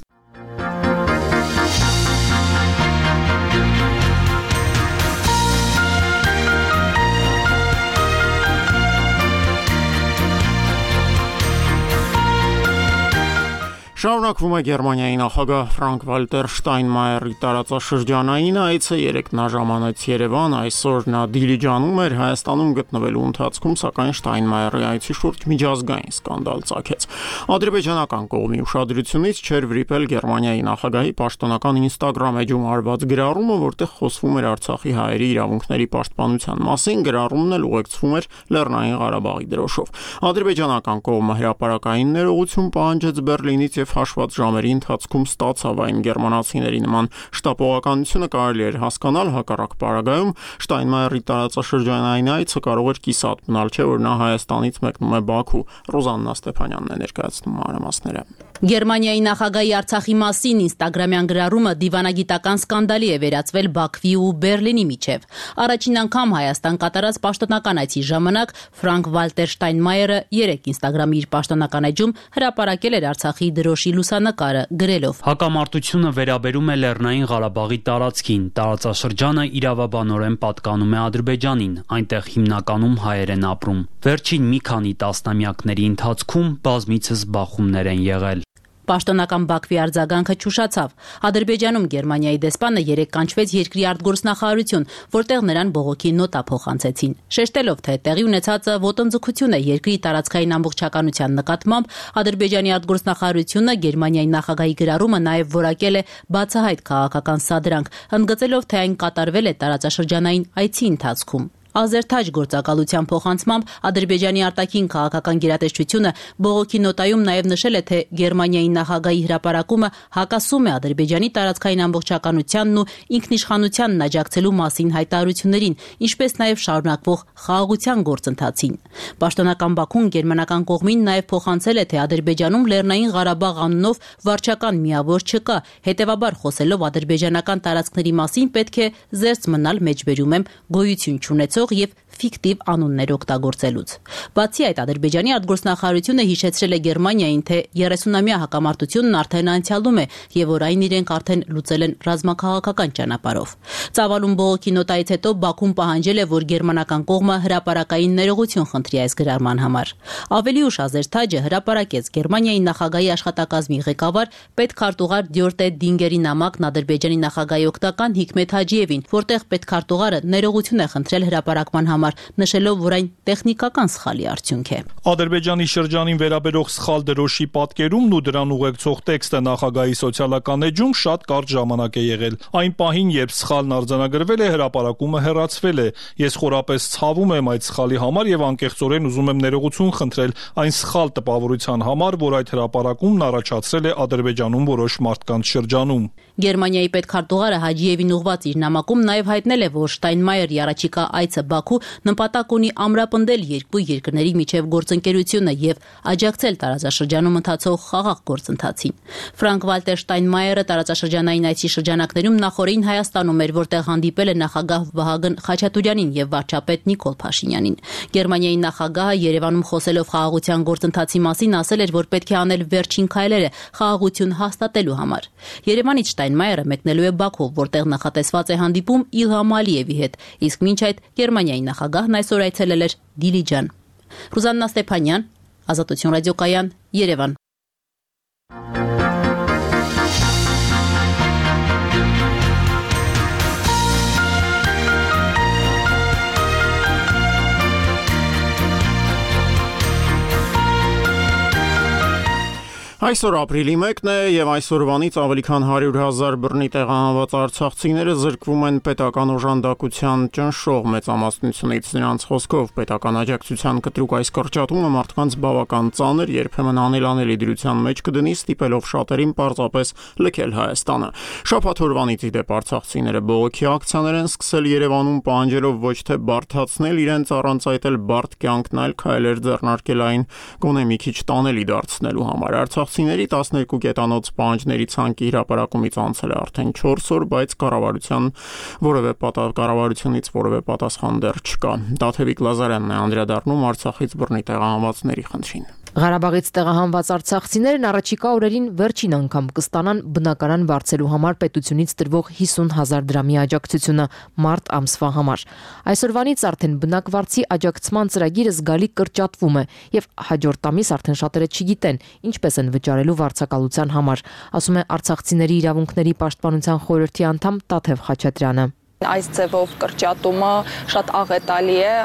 [SPEAKER 1] Շարունակվում է Գերմանիայի նախագահ Ֆրանկ-Վալտեր Շտայնմայերի տարածաշրջանային այցը, երեկ նա ժամանեց Երևան, այսօր նա Դիլիջանում էր, Հայաստանում գտնվելու ընթացքում, սակայն Շտայնմայերի այցի շուրջ միջազգային սկանդալ ծագեց։ Ադրբեջանական կողմի ուշադրությունից չէր վրիպել Գերմանիայի նախագահի պաշտոնական Instagram էջում արված գրառումը, որտեղ խոսվում էր Արցախի հայերի իրավունքների պաշտպանության մասին, գրառումն էլ ուղեկցվում էր Լեռնային Ղարաբաղի դրոշով։ Ադրբեջանական կողմը հրապարակային ներողություն պահանջեց Բեռլինից եւ հաշված ժամերի ընթացքում ստացավ այն գերմանացիների նման շտապողականությունը կարելի էր հասկանալ, հակառակ պարագայում Շտայնմայերի տարածաշրջանային այցը կարող էր կիսատ մնալ, չէ՞ որ նա Հայաստանից մեկնում է Բաքու։ Ռոզաննա Ստեփանյանն է ներկայացնում մանրամասները։
[SPEAKER 23] Գերմանիայի նախագահի Արցախի մասին ինստագրամյան գրառումը դիվանագիտական սկանդալի է վերածվել Բաքվի ու Բեռլինի միջև։ Առաջին անգամ Հայաստան կատարած պաշտոնական այցի ժամանակ Ֆրանկ-Վալտեր Շտայնմայերը երեկ ինստագրամի իր պաշտոնական էջում հրապարակել էր Արցախի դրոշի լուսանկարը, գրելով.
[SPEAKER 18] Հակամարտությունը վերաբերում է Լեռնային Ղարաբաղի տարածքին, տարածաշրջանը իրավաբանորեն պատկանում է Ադրբեջանին, այնտեղ հիմնականում հայեր են ապրում։ Վերջին մի քանի տասնամյակների ընթացքում բազմիցս բախումներ են եղել։
[SPEAKER 23] Պաշտոնական Բաքվի արձագանքը չուշացավ։ Ադրբեջանում Գերմանիայի դեսպանը երեկ կանչվեց երկրի արտգործնախարարություն, որտեղ նրան բողոքի նոտա փոխանցեցին։ Շեշտելով, թե տեղի ունեցածը ոտնձգություն է երկրի տարածքային ամբողջականության նկատմամբ, Ադրբեջանի արտգործնախարարությունը Գերմանիայի նախագահի գրառումը նաև որակել է բացահայտ քաղաքական սադրանք, ընդգծելով, թե այն կատարվել է տարածաշրջանային այցի ընթացքում։ Ազերթաջ գործակալության փոխանցմամբ Ադրբեջանի արտաքին քաղաքական գերատեսչությունը բողոքի նոտայում նաև նշել է, թե Գերմանիայի նախագահի հրապարակումը հակասում է Ադրբեջանի տարածքային ամբողջականությանն ու ինքնիշխանությանն աջակցելու մասին հայտարարություններին, ինչպես նաև շարունակվող խաղաղության գործընթացին։ Պաշտոնական Բաքուն գերմանական կողմին նաև փոխանցել է, թե Ադրբեջանում Լեռնային Ղարաբաղ անունով վարչական միավոր չկա, հետևաբար խոսելով ադրբեջանական տարածքների մասին պետք է զերծ մնալ մեջբերում եմ գոյություն չունեցող եւ ֆիկտիվ անուններ օգտագործելուց։ Բացի այդ, Ադրբեջանի արտգործնախարարությունը հիշեցրել է Գերմանիային, թե երեսունամյա հակամարտությունն արդեն անցյալում է եւ որ այն իրենք արդեն լուծել են ռազմաքաղաքական ճանապարհով։ Ծավալուն բողոքի նոտայից հետո Բաքուն պահանջել է, որ գերմանական կողմը հրապարակային ներողություն խնդրի այս գրառման համար։ Ավելի ուշ Ազերթաջը հրապարակեց Գերմանիայի նախագահի աշխատակազմի ղեկավար պետքարտուղար Դյորտե Դինգերի նամակն Ադրբեջանի նախագահի օգտական Հիկմեթ Հաջիևին, որտեղ պետքարտուղարը ներողություն է խնդրել հրապարակման համար, նշելով, որ այն տեխնիկական սխալի արդյունք է։
[SPEAKER 4] Ադրբեջանի շրջանին վերաբերող սխալ դրոշի պատկերումն ու դրան ուղեկցող տեքստը նախագահի սոցիալական էջում շատ կարճ ժամանակ է եղել։ Այն պահին, երբ սխալն արձանագրվել է, հրապարակումը հեռացվել է։ Ես խորապես ցավում եմ այդ սխալի համար եւ անկեղծորեն ուզում եմ ներողություն խնդրել այն սխալ տպավորության համար, որ այդ հրապարակումն առաջացրել է Ադրբեջանում որոշ մարդկանց շրջանում։
[SPEAKER 23] Գերմանիայի պետքարտուղարը Հաջիևին ուղված իր նամակում նաև հայտնել է, որ Շտայնմայերի առաջիկա այցը Բաքու նպատակ ունի ամրապնդել երկու երկրների միջև գործընկերությունը եւ աջակցել տարածաշրջանում ընթացող խաղաղ գործընթացին։ Ֆրանկ Վալտեր Շտայնմայերը տարածաշրջանային այցի շրջանակներում նախորդին Հայաստանում էր, որտեղ հանդիպել է նախագահ Վահագն Խաչատուրյանին եւ վարչապետ Նիկոլ Փաշինյանին։ Գերմանիայի նախագահը Երևանում խոսելով խաղաղության գործընթացի մասին ասել էր, որ պետք է անել վերջին քայլերը խաղաղություն հաստատելու համար։ Երևանից Շտայնմայերը մեկնելու է Բաքու, որտեղ նախատեսված է հանդիպում Իլհամ Ալիևի հետ, իսկ մինչ այդ Գերմանիայի նախագահն այսօր այցելել էր Դիլիջան։ Ռուզաննա Ստեփանյան, Ազատություն ռադիոկայան, Երևան։
[SPEAKER 1] Այսօր ապրիլի մեկն է եւ այսօրվանից ավելի քան հարյուր հազար բռնի տեղահանված արցախցիները զրկվում են պետական օժանդակության ճնշող մեծամասնությունից։ Նրանց խոսքով պետական աջակցության կտրուկ այս կրճատումը մարդկանց բավական ծանր, երբեմն անելանելի դրության մեջ կդնի, ստիպելով շատերին պարզապես լքել Հայաստանը։ Շաբաթօրվանից ի դեպ արցախցիները բողոքի ակցիաներ են սկսել Երևանում, պահանջելով ոչ թե բարդացնել իրենց, առանց այդ էլ բարդ կյանքն, այլ քայլեր ձեռնարկել այն գոնե մի քիչ տանելի դարձնելու համար։ Արցախցիների տասներկու կետանոց պահանջների ցանկի հրապարակումից անցել է արդեն չորս օր, բայց կառավարության որևէ կառավարությունից որևէ պատասխան դեռ չկա։ Դաթևիկ Լազարյանն է անդրադառնում Արցախից բռնի տեղահանվածների խնդրին։
[SPEAKER 2] Ղարաբաղից տեղահանված արցախցիներն առաջիկա օրերին վերջին անգամ կստանան բնակարան վարձելու համար պետությունից տրվող հիսուն հազար դրամի աջակցությունը մարտ ամսվա համար։ Այսօրվանից արդեն բնակվարձի աջակցման ծրագիրը զգալի կրճատվում է եւ հաջորդ ամիս արդեն շատերը չգիտեն ինչպես են վճարելու վարձակալության համար, ասում է Արցախցիների իրավունքների պաշտպանության խորհրդի անդամ Տաթև Խաչատրյանը։
[SPEAKER 6] Այս ձևով կրճատումը շատ աղետալի է։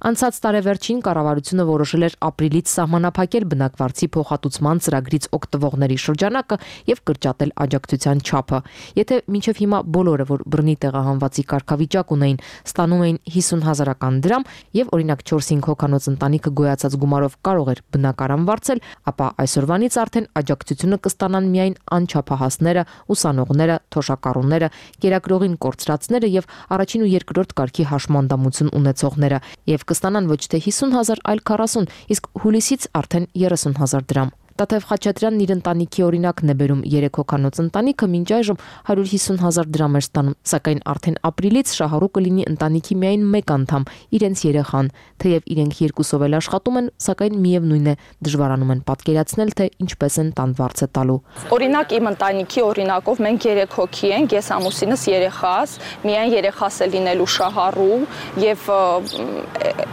[SPEAKER 2] Անցած տարեվերջին կառավարությունը որոշել էր ապրիլից սահմանափակել բնակվարձի փոխհատուցման ծրագրից օգտվողների շրջանակը եւ կրճատել աջակցության չափը։ Եթե մինչեւ հիմա բոլորը, որ բռնի տեղահանվածի կարգավիճակ ունեին, ստանում էին հիսուն հազարական դրամ եւ օրինակ չորս-հինգ հոգանոց ընտանիքը գոյացած գումարով կարող էր բնակարան վարձել, ապա այսօրվանից արդեն աջակցությունը կստանան միայն անչափահասները, ուսանողները, թոշակառուները, կերակրողին կորցրած եւ առաջին ու երկրորդ կարգի հաշմանդամություն ունեցողները եւ կստանան ոչ թե հիսուն հազար, այլ քառասուն, իսկ հուլիսից արդեն երեսուն հազար դրամ։ Տաթև Խաչատրյանն իր ընտանիքի օրինակն է բերում երեք հոգանոց ընտանիքը մինչ այժմ հարյուր հիսուն հազար դրամ էր ստանում, սակայն արդեն ապրիլից շահառու կլինի ընտանիքի միայն մեկ անդամ՝ իրենց երեխան, թեև իրենք երկուսով էլ աշխատում են, սակայն միևնույն է դժվարանում են պատկերացնել, թե ինչպես են տան վարձը տալու։
[SPEAKER 6] Օրինակ իմ ընտանիքի օրինակով մենք երեք հոգի ենք, ես ամուսինս երեխաս, միայն երեխաս է լինելու շահառու եւ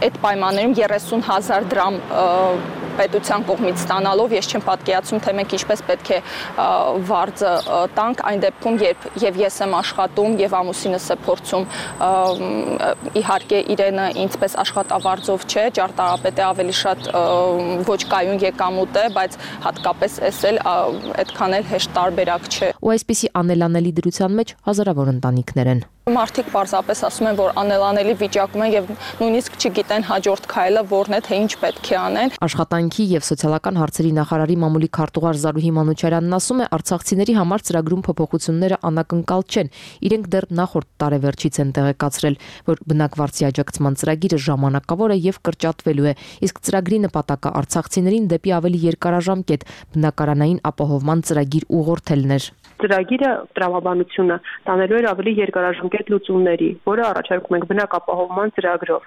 [SPEAKER 6] այդ պայմաններում երեսուն հազար դրամ պետության կողմից ստանալով ես չեմ պատկերացնում, թե մենք ինչպես պետք է վարձը տանք այն դեպքում, երբ եւ ես եմ աշխատում եւ ամուսինս է փորձում իհարկե իրենը ինձպես աշխատավարձով չէ, ճարտարապետը ավելի շատ ոչ կայուն եկամուտ է, բայց հատկապես էս էլ այդքան էլ հեշտ տարբերակ չէ։
[SPEAKER 2] Ու այսպիսի անելանելի դրության մեջ հազարավոր ընտանիքներ են։
[SPEAKER 6] Մարդիկ պարզապես ասում են, որ անելանելի վիճակում են եւ նույնիսկ չգիտեն հաջորդ քայլը որն է, թե ինչ պետք է անեն։
[SPEAKER 2] Աշխատանքի եւ սոցիալական հարցերի նախարարի մամուլի քարտուղար Զարուհի Մանուչարյանն ասում է, արցախցիների համար ծրագրում փոփոխությունները անակնկալ չեն։ Իրենք դեռ նախորդ տարեվերջից են տեղեկացրել, որ բնակվարձի աջակցման ծրագիրը ժամանակավոր է եւ կրճատվելու է, իսկ ծրագրի նպատակը արցախցիներին դեպի ավելի երկարաժամկետ բնակարանային ապահովման ծրագիր ուղղորդելն էր։
[SPEAKER 3] Ծրագիրը տրամաբանությունը տանելու էր ավելի երկարաժամկետ լուծումների, որը առաջարկում ենք բնակապահովման ծրագրով։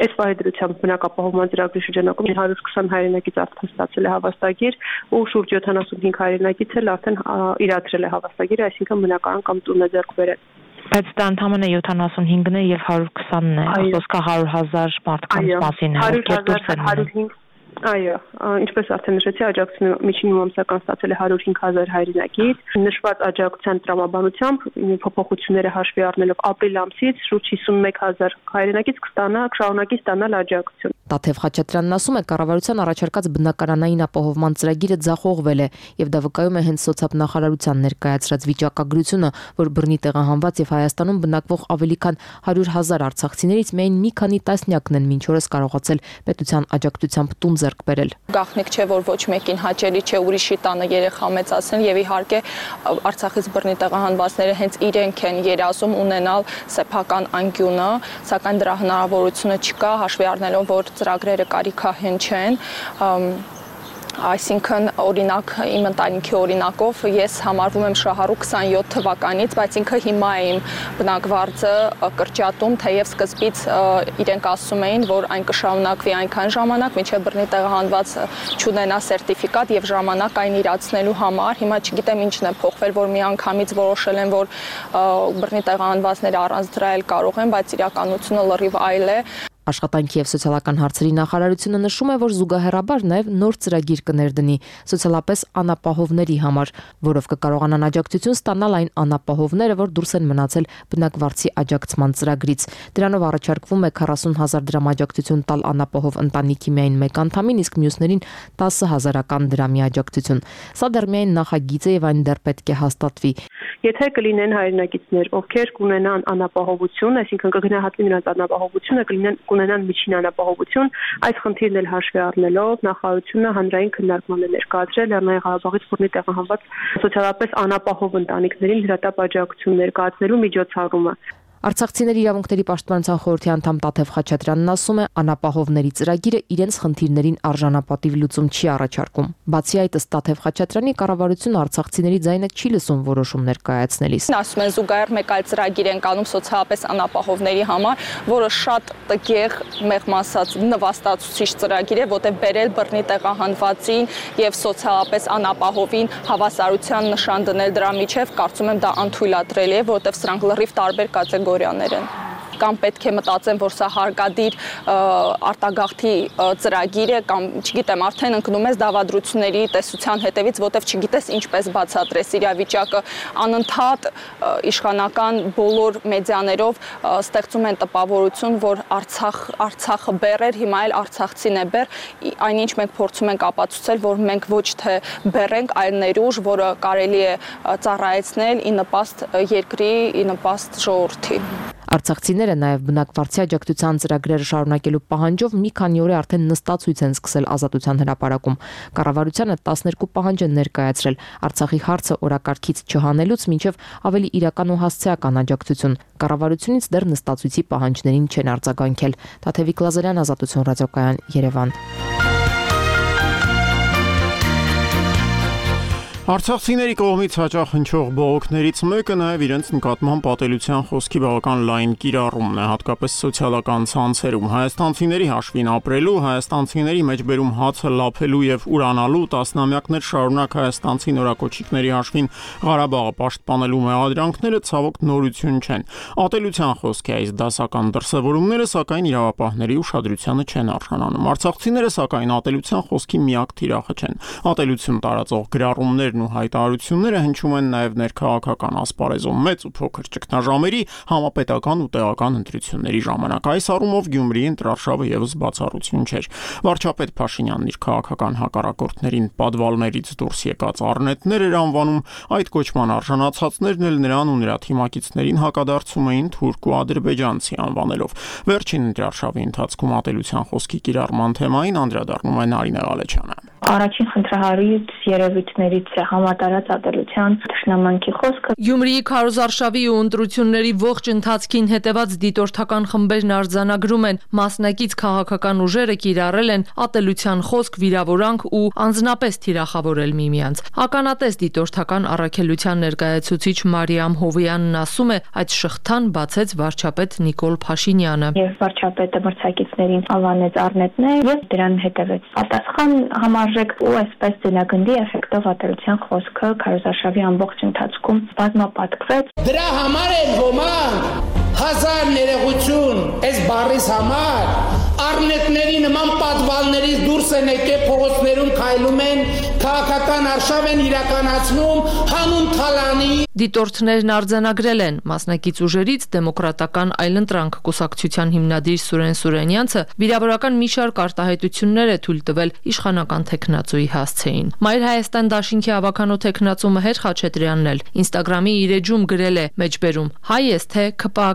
[SPEAKER 3] Այս պահեդրությամբ բնակապահովման ծրագրի շրջանակում հարյուր քսան հայրենակից արդեն ստացել է հավաստագիր ու շուրջ յոթանասունհինգ հայրենակից էլ արդեն իրացրել է հավաստագիրը, այսինքն բնակարան կամ տուն է ձեռք բերել։
[SPEAKER 7] Բայց դա ընդհանրապես յոթանասունհինգն է եւ հարյուր քսանն է, խոսքը հարյուր հազար մարդկանց մասին է, ովքեր դուրս են մնում։
[SPEAKER 3] Այո, ինչպես արդեն նշեցի, աջակցությունը միջին ամսական ստացել է հարյուր հինգ հազար հայրենակից։ Նշված աջակցության տրամաբանությամբ փոփոխությունները հաշվի առնելով ապրիլ ամսից շուրջ հիսունմեկ հազար հայրենակից կստանա, շարունակի ստանալ աջակցություն։
[SPEAKER 2] Տաթև Խաչատրյանն ասում է, կառավարության առաջարկած բնակարանային ապահովման ծրագիրը ձախողվել է եւ դա վկայում է հենց սոցիալնախարարության ներկայացրած վիճակագրությունը, որ բռնի տեղահանված եւ Հայաստանում բնակվող ավելի քան հարյուր հազար արցախցիներից միայն մի քանի տասնյակն են մինչ օրս կարողացել պետության աջակցությամբ տուն ձեռք բերել։
[SPEAKER 6] Գաղտնիք չէ, որ ոչ մեկին հաճելի չէ ուրիշի տանը երեխա մեծացնել եւ իհարկե Արցախից բռնի տեղահանվածները հենց իրենք են երազում ունենալ սեփական անկյունը, սակայն դրա հնարավորությունը չկա, հաշվի առնելով, որ ծրագրերը կարիքահեն չեն, այսինքն օրինակ իմ ընտանիքի օրինակով ես համարվում եմ շահառու քսանյոթ թվականից, բայց ինքը հիմա է իմ բնակվարձը կրճատում, թեև սկզբից իրենք ասում էին, որ այն կշարունակվի այնքան ժամանակ, մինչև բռնի տեղահանված չունենա սերտիֆիկատ եւ ժամանակ այն իրացնելու համար։ Հիմա չգիտեմ ինչն է փոխվել, որ միանգամից որոշել են, որ բռնի տեղահանվածները առանց դրա էլ կարող են, բայց իրականությունը լրիվ այլ է։
[SPEAKER 2] Աշխատանքի եւ սոցիալական հարցերի նախարարությունը նշում է, որ զուգահեռաբար նաեւ նոր ծրագիր կներդնի սոցիալապես անապահովների համար, որով կկարողանան աջակցություն ստանալ այն անապահովները, որ դուրս են մնացել բնակվարձի աջակցման ծրագրից։ Դրանով առաջարկվում է քառասուն հազար դրամ աջակցություն տալ անապահով ընտանիքի միայն մեկ անդամին, իսկ մյուսներին տասը հազարական դրամի աջակցություն։ Սա դեռ միայն նախագիծ է եւ այն դեռ պետք է հաստատվի։
[SPEAKER 3] Եթե կլինեն հայրենակիցներ, ովքեր կունենան անապահովություն, այսինքն կգնահատվի նրանց անապահովությունը, կլինեն կունենան միջին անապահովություն, այս խնդիրն էլ հաշվի առնելով նախարարությունը հանրային քննարկման է ներկայացրել Լեռնային Ղարաբաղից բռնի տեղահանված սոցիալապես անապահով ընտանիքներին հրատապ աջակցություն ներկայացնելու միջոցառումը։
[SPEAKER 2] Արցախցիների իրավունքների պաշտպանության խորհրդի անդամ Տաթև Խաչատրյանն ասում է, անապահովների ծրագիրը իրենց խնդիրներին արժանապատիվ լուծում չի առաջարկում։ Բացի այդ, ըստ Տաթև Խաչատրյանի, կառավարությունը արցախցիների ձայնը չի լսում որոշումներ կայացնելիս։
[SPEAKER 6] Ասում են զուգահեռ մեկ այլ ծրագիր են կանում սոցիալապես անապահովների համար, որը շատ տգեղ, մեղմ ասած, նվաստացուցիչ ծրագիր է, որտեղ բերել բռնի տեղահանվածին եւ սոցիալապես անապահովին հավասարության նշան դնել դրա միջև, կարծում եմ դա անթույլատրելի է, որտեղ սրանք լրիվ տարբեր կատեգորիաներ են։ Կամ պետք է մտածեն, որ սա հարկադիր արտագաղթի ծրագիր է, կամ չգիտեմ, արդեն ընկնում ես դավադրությունների տեսության հետևից, որտեվ չգիտես ինչպես բացատրես իրավիճակը, անընդհատ իշխանական բոլոր մեդիաներով ստեղծում են տպավորություն, որ Արցախ Արցախը բեռ էր, հիմա էլ Արցախցին է բեռ, այնինչ մենք փորձում ենք ապացուցել, որ մենք ոչ թե բեռ ենք, այլ ներուժ, որը կարելի է ծառայեցնել ի նպաստ երկրի, ի նպաստ ժողովրդի։
[SPEAKER 2] Արցախցիները նաև բնակվարձի աջակցության ծրագրերը շարունակելու պահանջով մի քանի օր է արդեն նստացույց են սկսել Ազատության հրապարակում։ Կառավարությանը տասներկու պահանջ են ներկայացրել Արցախի հարցը օրակարգից չհանելուց մինչև ավելի իրական ու հասցեական աջակցություն։ Կառավարությունից դեռ նստացույցի պահանջներին չեն արձագանքել։ Տաթևիկ Լազարյան, Ազատություն ռադիոկայան, Երևան։
[SPEAKER 1] Արցախցիների կողմից հաճախ հնչող բողոքներից մեկը նաև իրենց նկատմամբ պատելության խոսքի բավական լայն կիրառումն է, հատկապես սոցիալական ցանցերում։ Հայաստանցիների հաշվին ապրելու, հայաստանցիների մեջբերում հացը լափելու եւ ուրանալու, տասնամյակներ շարունակ հայաստանցի նորակոչիկների հաշվին Ղարաբաղը պաշտպանելու մեղադրանքները ցավոք նորություն չեն։ Ատելության խոսք է այս դասական դրսևորումները, սակայն իրավապահների ուշադրությանը չեն արժանանում։ Արցախցիները սակայն ատելության խոսքի միակ թիրախը չեն։ Ատելություն տարածող գրառումներ ու հայտարարությունները հնչում են նաև ներքաղաքական ասպարեզում մեծ ու փոքր ճգնաժամերի, համապետական ու տեղական ընտրությունների ժամանակ։ Այս առումով Գյումրիի ընտրարշավը եւս բացառություն չէր։ Վարչապետ Փաշինյանն իր քաղաքական հակառակորդներին պատվալներից դուրս եկած առնետներ էր անվանում, այդ կոչման արժանացածներն էլ նրան ու նրա թիմակիցներին հակադարձում էին թուրք ու ադրբեջանցի անվանելով։ Վերջին ընտրարշավի ընթացքում ատելության խոսքի կիրառման թեմային անդրադառնում է Նարինե Ղալեչյանը։
[SPEAKER 5] Առաջին խնդրահարույց երևույթներից է համատարած ատելության թշնամանքի խոսքը։
[SPEAKER 2] Գյումրիի քարոզարշավի ու ընտրությունների ողջ ընթացքին հետևած դիտորդական խմբերն արձանագրում են, մասնակից քաղաքական ուժերը կիրառել են ատելության խոսք, վիրավորանք ու անձնապես թիրախավորել միմյանց։ Ականատես դիտորդական առաքելության ներկայացուցիչ Մարիամ Հովյանն ասում է, այդ շղթան բացեց վարչապետ Նիկոլ Փաշինյանը։
[SPEAKER 5] Եվ վարչապետը մրցակիցներին անվանեց առնետներ եւ դրան հետևեց պատասխան համար ու այսպես ձնագնդի էֆեկտով ատելության խոսքը քարոզարշավի ամբողջ ընթացքում բազմապատկվեց։
[SPEAKER 8] Դրա համար են ոմանք հազար ներողություն այս բառից համար առնետների նման պատվալներից դուրս են եկել փողոցներում քայլում են, քաղաքական արշավ են իրականացնում հանուն թալանի։
[SPEAKER 2] Դիտորդներն արձանագրել են մասնակից ուժերից դեմոկրատական այլընտրանք կուսակցության հիմնադիր Սուրեն Սուրենյանցը վիրավորական մի շարք արտահայտություններ է թույլ տվել իշխանական թեկնածուի հասցեին։ Մայր Հայաստան դաշինքի ավականո թեկնածու Մհեր Խաչատրյանն էլ Instagram-ի իր էջում գրել է մեջբերում. հայ ես թե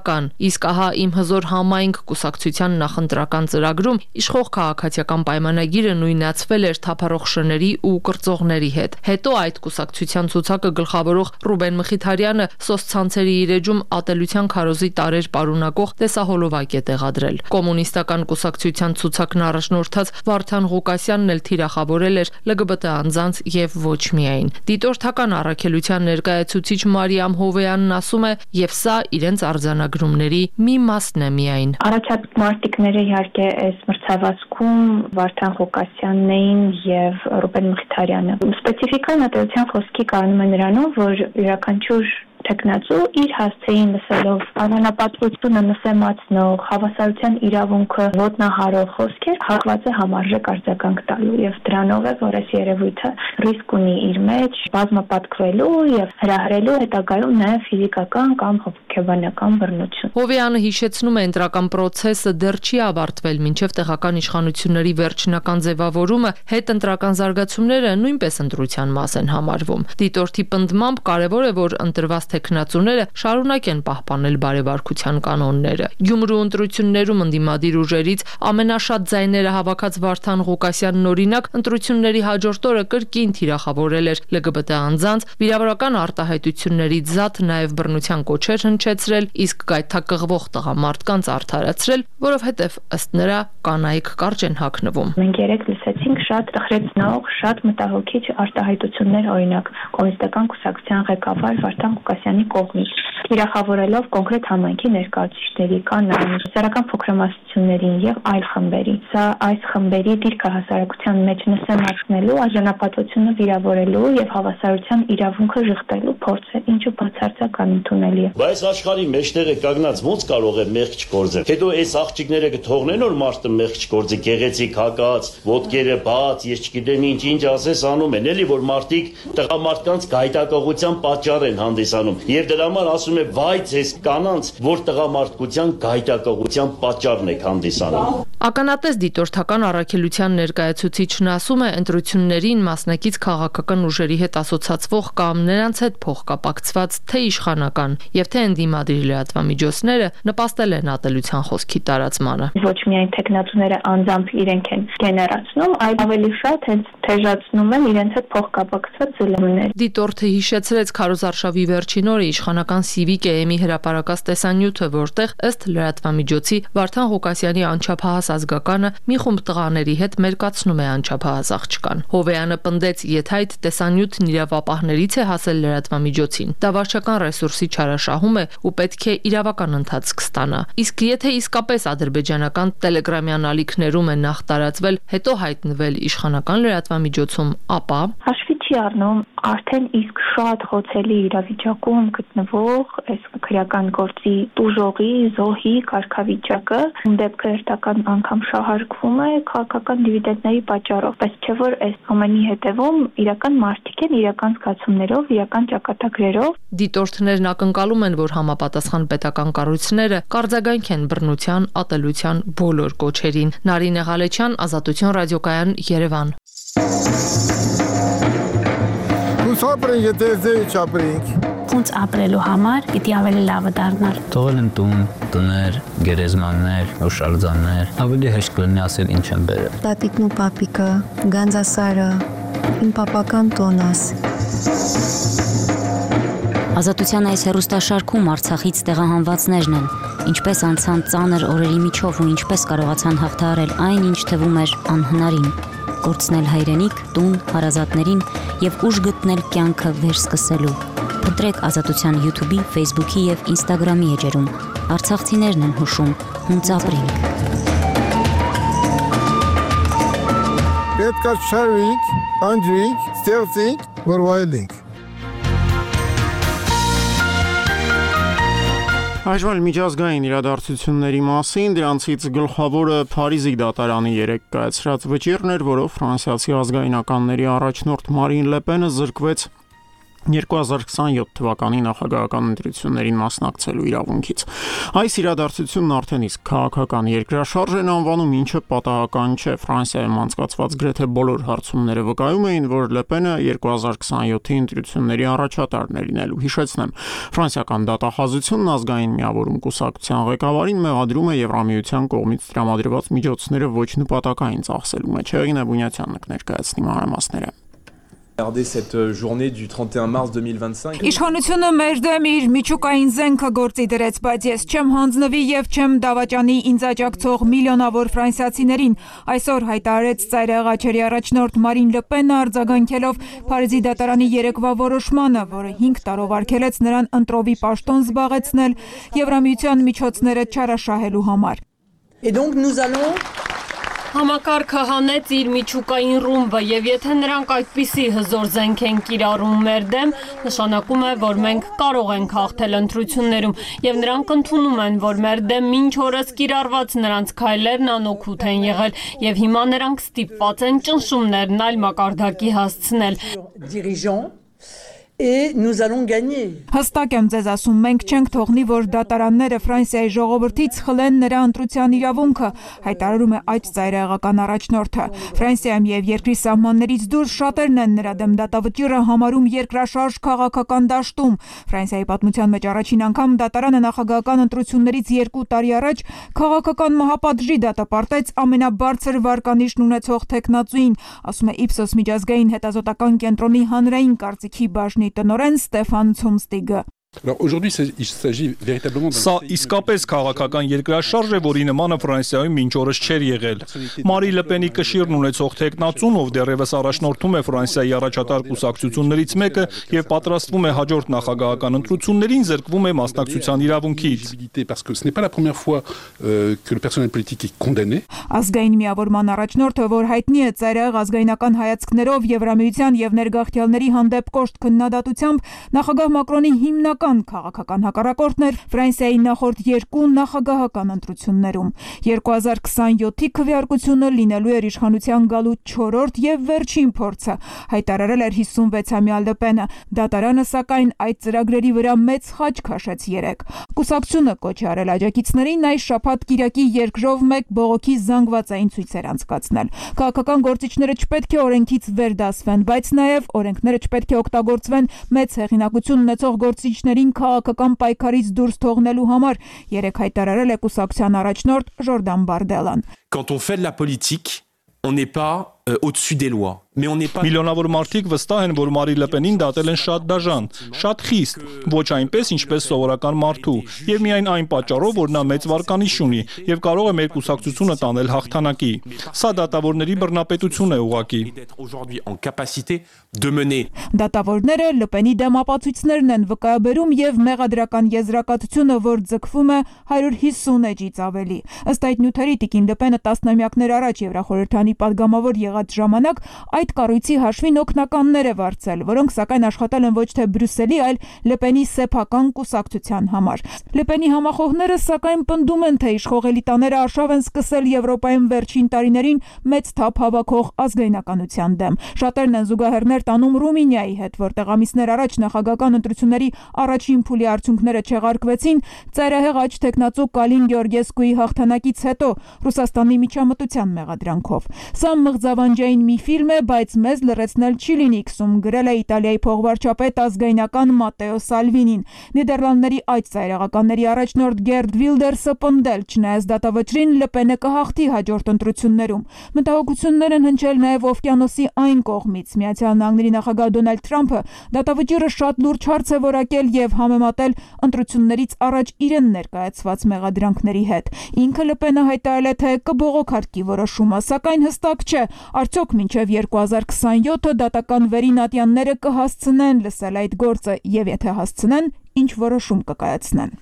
[SPEAKER 2] ՔՊԱ-կան, իսկ ահա իմ հզոր համայնք կուսակցության նախընտրական ծրագրում իշխող քաղաքացիական պայմանագիրը նույնացվել էր թափառող շների ու կրծողների հետ։ Հետո այդ կուսակցության ցուցակը գլխավորող Ռուբեն Մխիթարյանը սոցցանցերի իր էջում ատելության քարոզի տարեր պարունակող տեսահոլովակ է տեղադրել։ Կոմունիստական կուսակցության ցուցակն առաջնորդած Վարդան Ղուկասյանն էլ թիրախավորել էր ԼԳԲՏ անձանց եւ ոչ միայն։ Դիտորդական առաքելության ներկայացուցիչ Մարիամ Հովյանն ասում է, եւ սա իրենց արձանագրումների մի մասն է միայն։
[SPEAKER 5] Առաջացած մարտիկները իհարկե այս մրցավազքում Վարդան Ղուկասյանն էին եւ Ռուբեն Մխիթարյանը։ Սպეციფიკան ատելության խոսքի կանոնում է նրանով, որ յուրաքանչյուր տեխնացու իր հասցեին լսելով անանապատվությունը նսեմացնող հավասարության իրավունքը ոտնահարող խոսքեր հակված է համարժեք արձագանք տալու եւ դրանով է որ այս երևույթը ռիսկ ունի իր մեջ բազմապատկվելու եւ հրահրելու հետագայում նաեւ ֆիզիկական կամ հոգեբանական բռնություն։
[SPEAKER 2] Հովյանը հիշեցնում է ընտրական process-ը դեռ չի ավարտվել, մինչև տեղական իշխանությունների վերջնական ձևավորումը հետընտրական զարգացումները նույնպես ընտրության մաս են համարվում։ Դիտորդի պնդմամբ կարևոր է որ ընտրված տեխնացուները շարունակեն պահպանել բարեվարկության կանոնները։ Գյումրու ընտրություններում ընդդիմադիր ուժերից ամենաշատ ձայները հավաքած Վարդան Ղուկասյանն օրինակ ընտրությունների հաջորդ օրը կրկին թիրախավորել էր ԼԳԲՏ անձանց, վիրավորական արտահայտությունների զատ նաև բռնության կոչեր հնչեցրել, իսկ գայթակղվող տղամարդկանց արդարացրել, որովհետև ըստ նրա կանայք կարճ են հագնվում։
[SPEAKER 5] Մենք երեք լսեցինք շատ տխրեցնող, շատ մտահոգիչ արտահայտություններ, օրինակ կոմունիստական կուսակցության ղեկավար Վարդան Ղուկասյանի կողմից, թիրախավորելով կոնկրետ համայնքի ներկայացուցիչների, կանանց, սոցիալական փոքրամասնություններին եւ այլ խմբերի։ Սա այս խմբերի դիրքը հասարակության մեջ նսեմացնելու, արժանապատվությունը վիրավորելու եւ հավասարության իրավունքը ժխտելու փորձ է, ինչը բացարձակ անընդունելի է։
[SPEAKER 9] Բայց աշխարհի մեջտեղը կանգնած ոնց կարող է մեղք չգործել։ Հետո այս աղջիկները կթողնեն որ մարդը մեղք չգործի, գեղեցիկ հակած, ոտքերը բաց, ես չգիտեմ ինչ ինչ ասես անում են, էլի որ մարդիկ տղամարդկանց գայթակղության պատճառ են հանդիսանում։ Եվ դրա համար ասում է վայ ձեզ կանանց, որ տղամարդկության գայթակղության պատճառն եք հանդիսանում։
[SPEAKER 2] Ականատես դիտորդական առաքելության ներկայացուցիչն ասում է ընտրություններին մասնակից քաղաքական ուժերի հետ ասոցացվող կամ նրանց հետ փոխկապակցված թե իշխանական եւ թե ընդդիմադիր լրատվամիջոցները նպաստել են ատելության խոսքի տարածմանը։
[SPEAKER 5] Ոչ միայն տեխնացուները անձամբ իրենք են գեներացնում, այլ ավելի շատ հենց թեժացնում են իրենց հետ փոխկապակցված զլմներ։
[SPEAKER 2] Դիտորդը հիշեցրեց քարոզարշավի վերջին վերջին օրը իշխանական Civic է էմի հրապարակած տեսանյութը, որտեղ ըստ լրատվամիջոցի Վարդան Ղուկասյանի անչափահաս ազգականը մի խումբ տղաների հետ մերկացնում է անչափահաս աղջկան։ Հովեյանը պնդեց, եթե այդ տեսանյութն իրավապահներից է հասել լրատվամիջոցին, դա վարչական ռեսուրսի չարաշահում է ու պետք է իրավական ընթացք ստանա։ Իսկ եթե իսկապես ադրբեջանական տելեգրամյան ալիքներում է նախ տարածվել, հետո հայտնվել իշխանական լրատվամիջոցում, ապա
[SPEAKER 5] հաշվի չի առնում արդեն իսկ շատ խոցելի իրավիճակում գտնվող այս քրեական գործի տուժողի, զոհի կարգավիճակը, դեպքը հերթական անգամ շահարկվում է քաղաքական դիվիդենդների պատճառով, բայց չէ որ այս ամենի հետևում իրական մարդիկ են, իրական զգացումներով, իրական ճակատագրերով։
[SPEAKER 2] Դիտորդներն ակնկալում են, որ համապատասխան պետական կառույցները կարձագանք են բռնության, ատելության բոլոր կոչերին։ Նարինե Ղալեչյան, Ազատություն ռադիոկայան, Երևան։
[SPEAKER 10] Ոնց ապրենք, եթե ձեր չապրենք։
[SPEAKER 12] Ոնց ապրելու համար պիտի ավելի լավը դառնալ։
[SPEAKER 13] Թողել են տուն, տներ, գերեզմաններ, օշալձաններ, ավելի հեշտ կլինի ասել ինչ են բերել։
[SPEAKER 24] Տատիկն ու պապիկը, Գանձասարը, իմ պապական տոնաս։
[SPEAKER 23] Ազատության այս հեռուստաշարքում Արցախից տեղահանվածներն են, ինչպես անցան ծանր օրերի միջով ու ինչպես կարողացան հաղթահարել այն, ինչ թվում էր անհնարին։ Կորցնել հայրենիք, տուն, հարազատներին եւ ուժ գտնել կյանքը վերսկսելու։ Փնտրեք Ազատության YouTube-ի, Facebook-ի եւ Instagram-ի էջերում։ Արցախցիներն են հուշում, հունց ապրենք։
[SPEAKER 10] Պետք է շարվենք, անջրենք, ստեղծենք, որ վայելենք։
[SPEAKER 1] Այժմ միջազգային իրադարձությունների մասին, դրանցից գլխավորը Փարիզի դատարանի երեկ կայացրած վճիռն էր, որով ֆրանսիացի ազգայնականների առաջնորդ Մարին Լեպենը զրկվեց երկու հազար քսաներորդ թվականի նախագահական ընտրություններին մասնակցելու իրավունքից։ Այս իրադարձությունն արդեն իսկ քաղաքական երկրաշարժ են անվանում, ինչը պատահական չէ։ Ֆրանսիայում անցկացված գրեթե բոլոր հարցումները վկայում էին, որ Լեպենը երկու հազար քսաներորդի ընտրությունների առաջատարն է լինելու։ Հիշեցնեմ, ֆրանսիական դատախազությունն ազգային միավորում կուսակցության ղեկավարին մեղադրում է Եվրամիության կողմից տրամադրված միջոցները ոչ նպատակային ծախսելու մեջ։ Հեղինե Բունյացյանը կներկայացնի մանրամասները։
[SPEAKER 25] Cette journée du trente et un mars deux mille vingt-cinq.
[SPEAKER 26] Իշխանությունը մեր դեմ իր միջուկային զենքը գործի դրեց, բայց ես չեմ հանձնվի եւ չեմ դավաճանի ինձ աջակցող միլիոնավոր ֆրանսիացիներին։ Այսօր հայտարարեց ծայրահեղ աչերի առաջնորդ Մարին Լեպենը արձագանքելով Փարիզի դատարանի երեկվա որոշմանը, որը հինգ տարով արգելեց նրան ընտրովի պաշտոն զբաղեցնել Եվրամիության միջոցները չարաշահելու համար։
[SPEAKER 27] Et donc nous allons Համակարգը հանեց իր միջուկային ռումբը եւ եթե նրանք այդպիսի հզոր զենք են կիրառում մեր դեմ, նշանակում է, որ մենք կարող ենք հաղթել ընտրություններում եւ նրանք ընդունում են, որ մեր դեմ մինչ օրս կիրառված նրանց քայլերն անօգուտ են եղել եւ հիմա նրանք ստիպված են ճնշումներն այլ մակարդակի հասցնել։
[SPEAKER 26] Et nous allons gagner. Հստակ եմ ձեզ ասում, մենք չենք թողնի, որ դատարանները Ֆրանսիայի ժողովրդից խլեն նրա ընտրության իրավունքը, հայտարարում է այդ ծայրահեղական առաջնորդը։ Ֆրանսիայում եւ երկրի սահմաններից դուրս շատերն են նրա դեմ դատավճիռը համարում երկրաշարժ քաղաքական դաշտում։ Ֆրանսիայի պատմության մեջ առաջին անգամ դատարանը նախագահական ընտրություններից երկու տարի առաջ քաղաքական մահապատժի դատապարտեց ամենաբարձր վարկանիշն ունեցող տեխնացուին, ասում է Ipsos միջազգային հետազոտական կենտրոնի հանրային կարծիքի բաժնի տնօրեն Ստեֆան Ցումստիգը։
[SPEAKER 4] Սա իսկապես քաղաքական երկրաշարժ է, որի նմանը Ֆրանսիայում մինչ օրս չէր եղել։ Մարի Լեպենի կշիռն ունեցող տեխնացուն, ով դեռևս առաջնորդում է Ֆրանսիայի առաջատար կուսակցություններից մեկը եւ պատրաստվում է հաջորդ նախագահական ընտրություններին, զրկվում է մասնակցության իրավունքից։
[SPEAKER 26] Ազգային միավորման առաջնորդը, որ հայտնի է ծայրահեղ ազգայնական հայացքներով Եվրամիության եւ ներգաղթյալների հանդեպ կոշտ քննադատությամբ, նախագահ Մակրոնի հիմնական քաղաքական հակառակորդն էր Ֆրանսիայի նախորդ երկու նախագահական ընտրություններում։ երկու հազար քսաներորդի քվեարկությունը լինելու էր իշխանության գալու չորրորդ եւ վերջին փորձը, հայտարարել էր հիսունվեցամյա Լեպենը։ Դատարանը սակայն այդ ծրագրերի վրա մեծ խաչ քաշեց երեկ։ Կուսակցությունը կոչ է արել աջակիցներին այս շաբաթ կիրակի երկրով մեկ բողոքի զանգվածային ցույցեր անցկացնել։ Քաղաքական գործիչները չպետք է օրենքից վեր դասվեն, բայց նաեւ օրենքները չպետք է օգտագործվեն մեծ հեղինակություն ունեցող գործիչներին քաղաքական պայքարից դուրս թողնելու համար, երեկ հայտարարել է կուսակցության առաջնորդ Ժորդան Բարդելան։
[SPEAKER 28] Quand on fait de la politique, on n'est pas
[SPEAKER 11] au-dessus des lois.
[SPEAKER 4] Միլիոնավոր մարդիկ վստահ են, որ Մարի Լեպենին դատել են շատ դաժան, շատ խիստ, ոչ այնպես, ինչպես սովորական մարդու, եւ միայն այն պատճառով, որ նա մեծ վարկանիշ ունի եւ կարող է մեր կուսակցությունը տանել հաղթանակի։ Սա դատավորների բռնապետություն է ուղղակի։
[SPEAKER 26] Դատավորները Լեպենի դեմ ապացույցներն են վկայաբերում եւ մեղադրական եզրակացությունը, որ ձգվում է հարյուր հիսուն էջից ավելի։ Ըստ այդ նյութերի Տիկին Լեպենը տասնամյակներ առաջ Եվրախորհրդանի падգամավոր եղած ժամանակ այդ կառույցի հաշվին օգնականներ է վարձել, որոնք սակայն աշխատել են ոչ թե Բրյուսելի, այլ Լեպենի սեփական կուսակցության համար։ Լեպենի համախոհները սակայն պնդում են, թե իշխող էլիտաները արշավ են սկսել Եվրոպայում վերջին տարիներին մեծ թափ հավաքող ազգայնականության դեմ։ Շատերն են զուգահեռներ տանում Ռումինիայի հետ, որտեղ ամիսներ առաջ նախագահական ընտրությունների առաջին փուլի արդյունքները չեղարկվեցին ծայրահեղ աջ թեկնածու Կալին Գեորգեսկուի հաղթանակից հետո Ռուսաստանի միջամտության մեղադրանքով։ Սա մղձավանջային մի ֆիլմ է, բայց մեզ լրացնել չի լինի, քսում գրել է Իտալիայի փոխվարչապետ ազգայնական Մատեո Սալվինին։ Նիդերլանդների այդ ծայրահեղականների առաջնորդ Գերդ Վիլդերսը պնդել, չնայած դատավճրին Լեպենը կհաղթի հաջորդ ընտրություններում։ Մտահոգություններ են հնչել նաև օվկիանոսի այն կողմից։ Միացյալ Նահանգների նախագահ Դոնալդ Թրամփը դատավճիռը շատ լուրջ հարց է որակել եւ համեմատել ընտրություններից առաջ իրեն ներկայացված մեղադրանքների հետ։ Ինքը Լեպենը հայտարարել է, թե կբողոքարկի որոշումը, սակայն հստակ չէ, արդյոք մինչև երկու հազար քսաներկու դատական վերին ատյանները կհասցնեն լսել այդ գործը եւ եթե հասցնեն, ինչ որոշում կկայացնեն։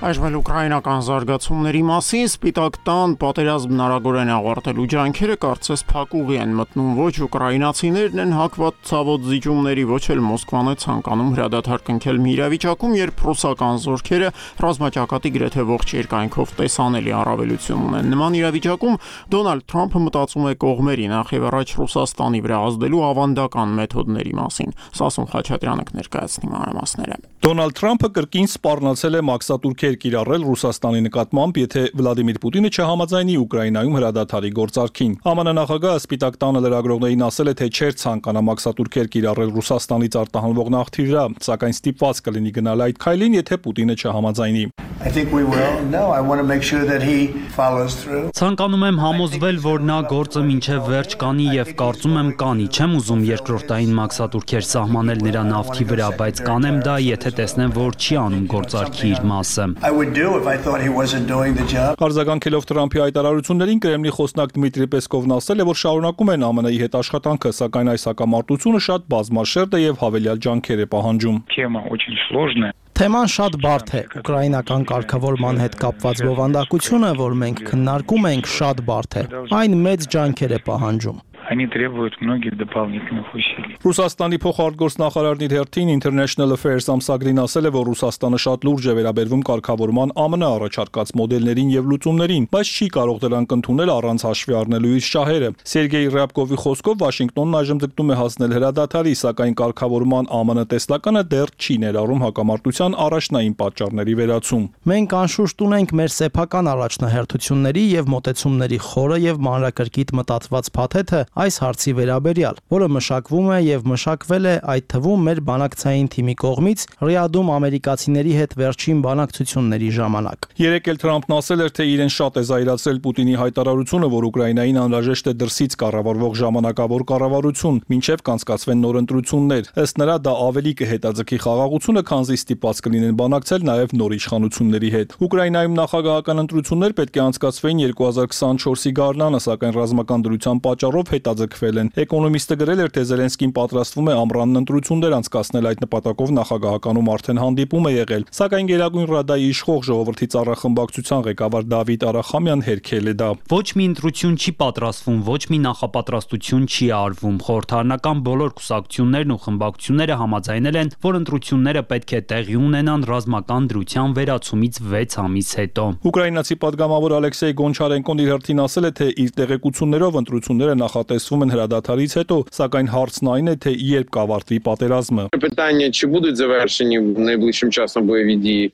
[SPEAKER 1] Այժմ ուկրաինական զարգացումների մասին Սպիտակ տան պատերազմն արագորեն ավարտելու ջանքերը կարծես փակուղի են մտնում, ոչ ուկրաինացիներն են հակված ցավոտ զիջումների, ոչ էլ Մոսկվան է ցանկանում հրադադար կնքել մի իրավիճակում, երբ ռուսական զորքերը ռազմաճակատի գրեթե ողջ երկայնքով տեսանելի առավելություն ունեն։ Նման իրավիճակում Դոնալդ Թրամփը մտածում է կողմերի, նախ եւ առաջ Ռուսաստանի վրա ազդելու ավանդական մեթոդների մասին։ Սասուն Խաչատրյանը կներկայացնի մանրամասները։
[SPEAKER 4] Դոնալդ Թրամփը կրկին սպառնացել է մաքսատուրքեր կիրառել Ռուսաստանի նկատմամբ, եթե Վլադիմիր Պուտինը չհամաձայնի Ուկրաինայում հրադադարի գործարքին։ ԱՄՆ նախագահը Սպիտակ տանը լրագրողներին ասել է, թե չէր ցանկանա մաքսատուրքեր կիրառել Ռուսաստանից արտահանվող նավթի վրա, սակայն ստիպված կլինի գնալ այդ քայլին, եթե Պուտինը չհամաձայնի։
[SPEAKER 18] Ցանկանում եմ համոզվել, որ նա գործը մինչև վերջ կանի եւ կարծում եմ կանի։ Չեմ ուզում երկրորդային մաքսատուրքեր սահմանել նրա նավթի վրա, բայց կանեմ դա, եթե տեսնեմ, որ չի անում գործարքի իր մասը։
[SPEAKER 4] Արձագանքելով Թրամփի հայտարարություններին, Կրեմլի խոսնակ Դմիտրի Պեսկովն ասել է, որ շարունակում են ԱՄՆ-ի հետ աշխատանքը, սակայն այս հակամարտությունը շատ բազմաշերտ է եւ հավելյալ ջանքեր է պահանջում։
[SPEAKER 14] Թեման շատ բարդ է։ Ուկրաինական կարգավորման հետ կապված բովանդակությունը, որ մենք քննարկում ենք, շատ բարդ է։ Այն մեծ ջանքեր է պահանջում։
[SPEAKER 4] Ռուսաստանի փոխարտգործնախարարն իր հերթին International Affairs ամսագրին ասել է, որ Ռուսաստանը շատ լուրջ է վերաբերվում կարգավորման ԱՄՆ առաջարկած մոդելներին եւ լուծումներին, բայց չի կարող դրանք ընդունել առանց հաշվի առնելու իր շահերը։ Սերգեյ Ռյաբկովի խոսքով Վաշինգտոնն այժմ ձգտում է հասնել հրադադարի, սակայն կարգավորման ԱՄՆ տեսլականը դեռ չի ներառում հակամարտության առաջնային պատճառների վերացում։
[SPEAKER 14] Մենք անշուշտ ունենք մեր սեփական առաջնահերթությունների եւ մոտեցումների խորը եւ մանրակրկիտ մտածված փաթեթը այս հարցի վերաբերյալ, որը մշակվում է եւ մշակվել է այդ թվում մեր բանակցային թիմի կողմից Ռիադում ամերիկացիների հետ վերջին բանակցությունների ժամանակ։
[SPEAKER 4] Երեկ էլ Թրամփն ասել էր, թե իրեն շատ է զայրացրել Պուտինի հայտարարությունը, որ Ուկրաինային անհրաժեշտ է դրսից կառավարվող ժամանակավոր կառավարություն, մինչև կանցկացվեն նոր ընտրություններ։ Ըստ նրա դա ավելի կհետաձգի խաղաղությունը, քանզի ստիպված կլինեն բանակցել նաեւ նոր իշխանությունների հետ։ Ուկրաինայում նախագահական ընտրություններ պետք է անցկացվեին երկու հազար քսաներկու գարնանը, սակայն ռազմական դրության պատճառով հետաձգվել են։ Էկոնոմիստը գրել էր, թե Զելենսկին պատրաստվում է ամռան ընտրություններ անցկացնել, այդ նպատակով նախագահականում արդեն հանդիպում է եղել, սակայն Գերագույն Ռադայի իշխող ժողովրդի ծառախմբակցության ղեկավար Դավիթ Արախամյան հերքել է դա։
[SPEAKER 18] Ոչ մի ընտրություն չի պատրաստվում, ոչ մի նախապատրաստություն չի արվում։ Խորհրդարանական բոլոր կուսակցություններն ու խմբակցությունները համաձայնել են, որ ընտրությունները պետք է տեղի ունենան ռազմական դրության վերացումից վեց ամիս հետո։
[SPEAKER 4] Ուկրաինացի падգամավոր Ալեքսեյ Գոնչարենկոն իր հերթին ասել է, թե իր տեղեկություններով ընտրությունները նախատես տեսվում են հրադադարից հետո, սակայն հարցն այն է, թե երբ կավարտվի պատերազմը։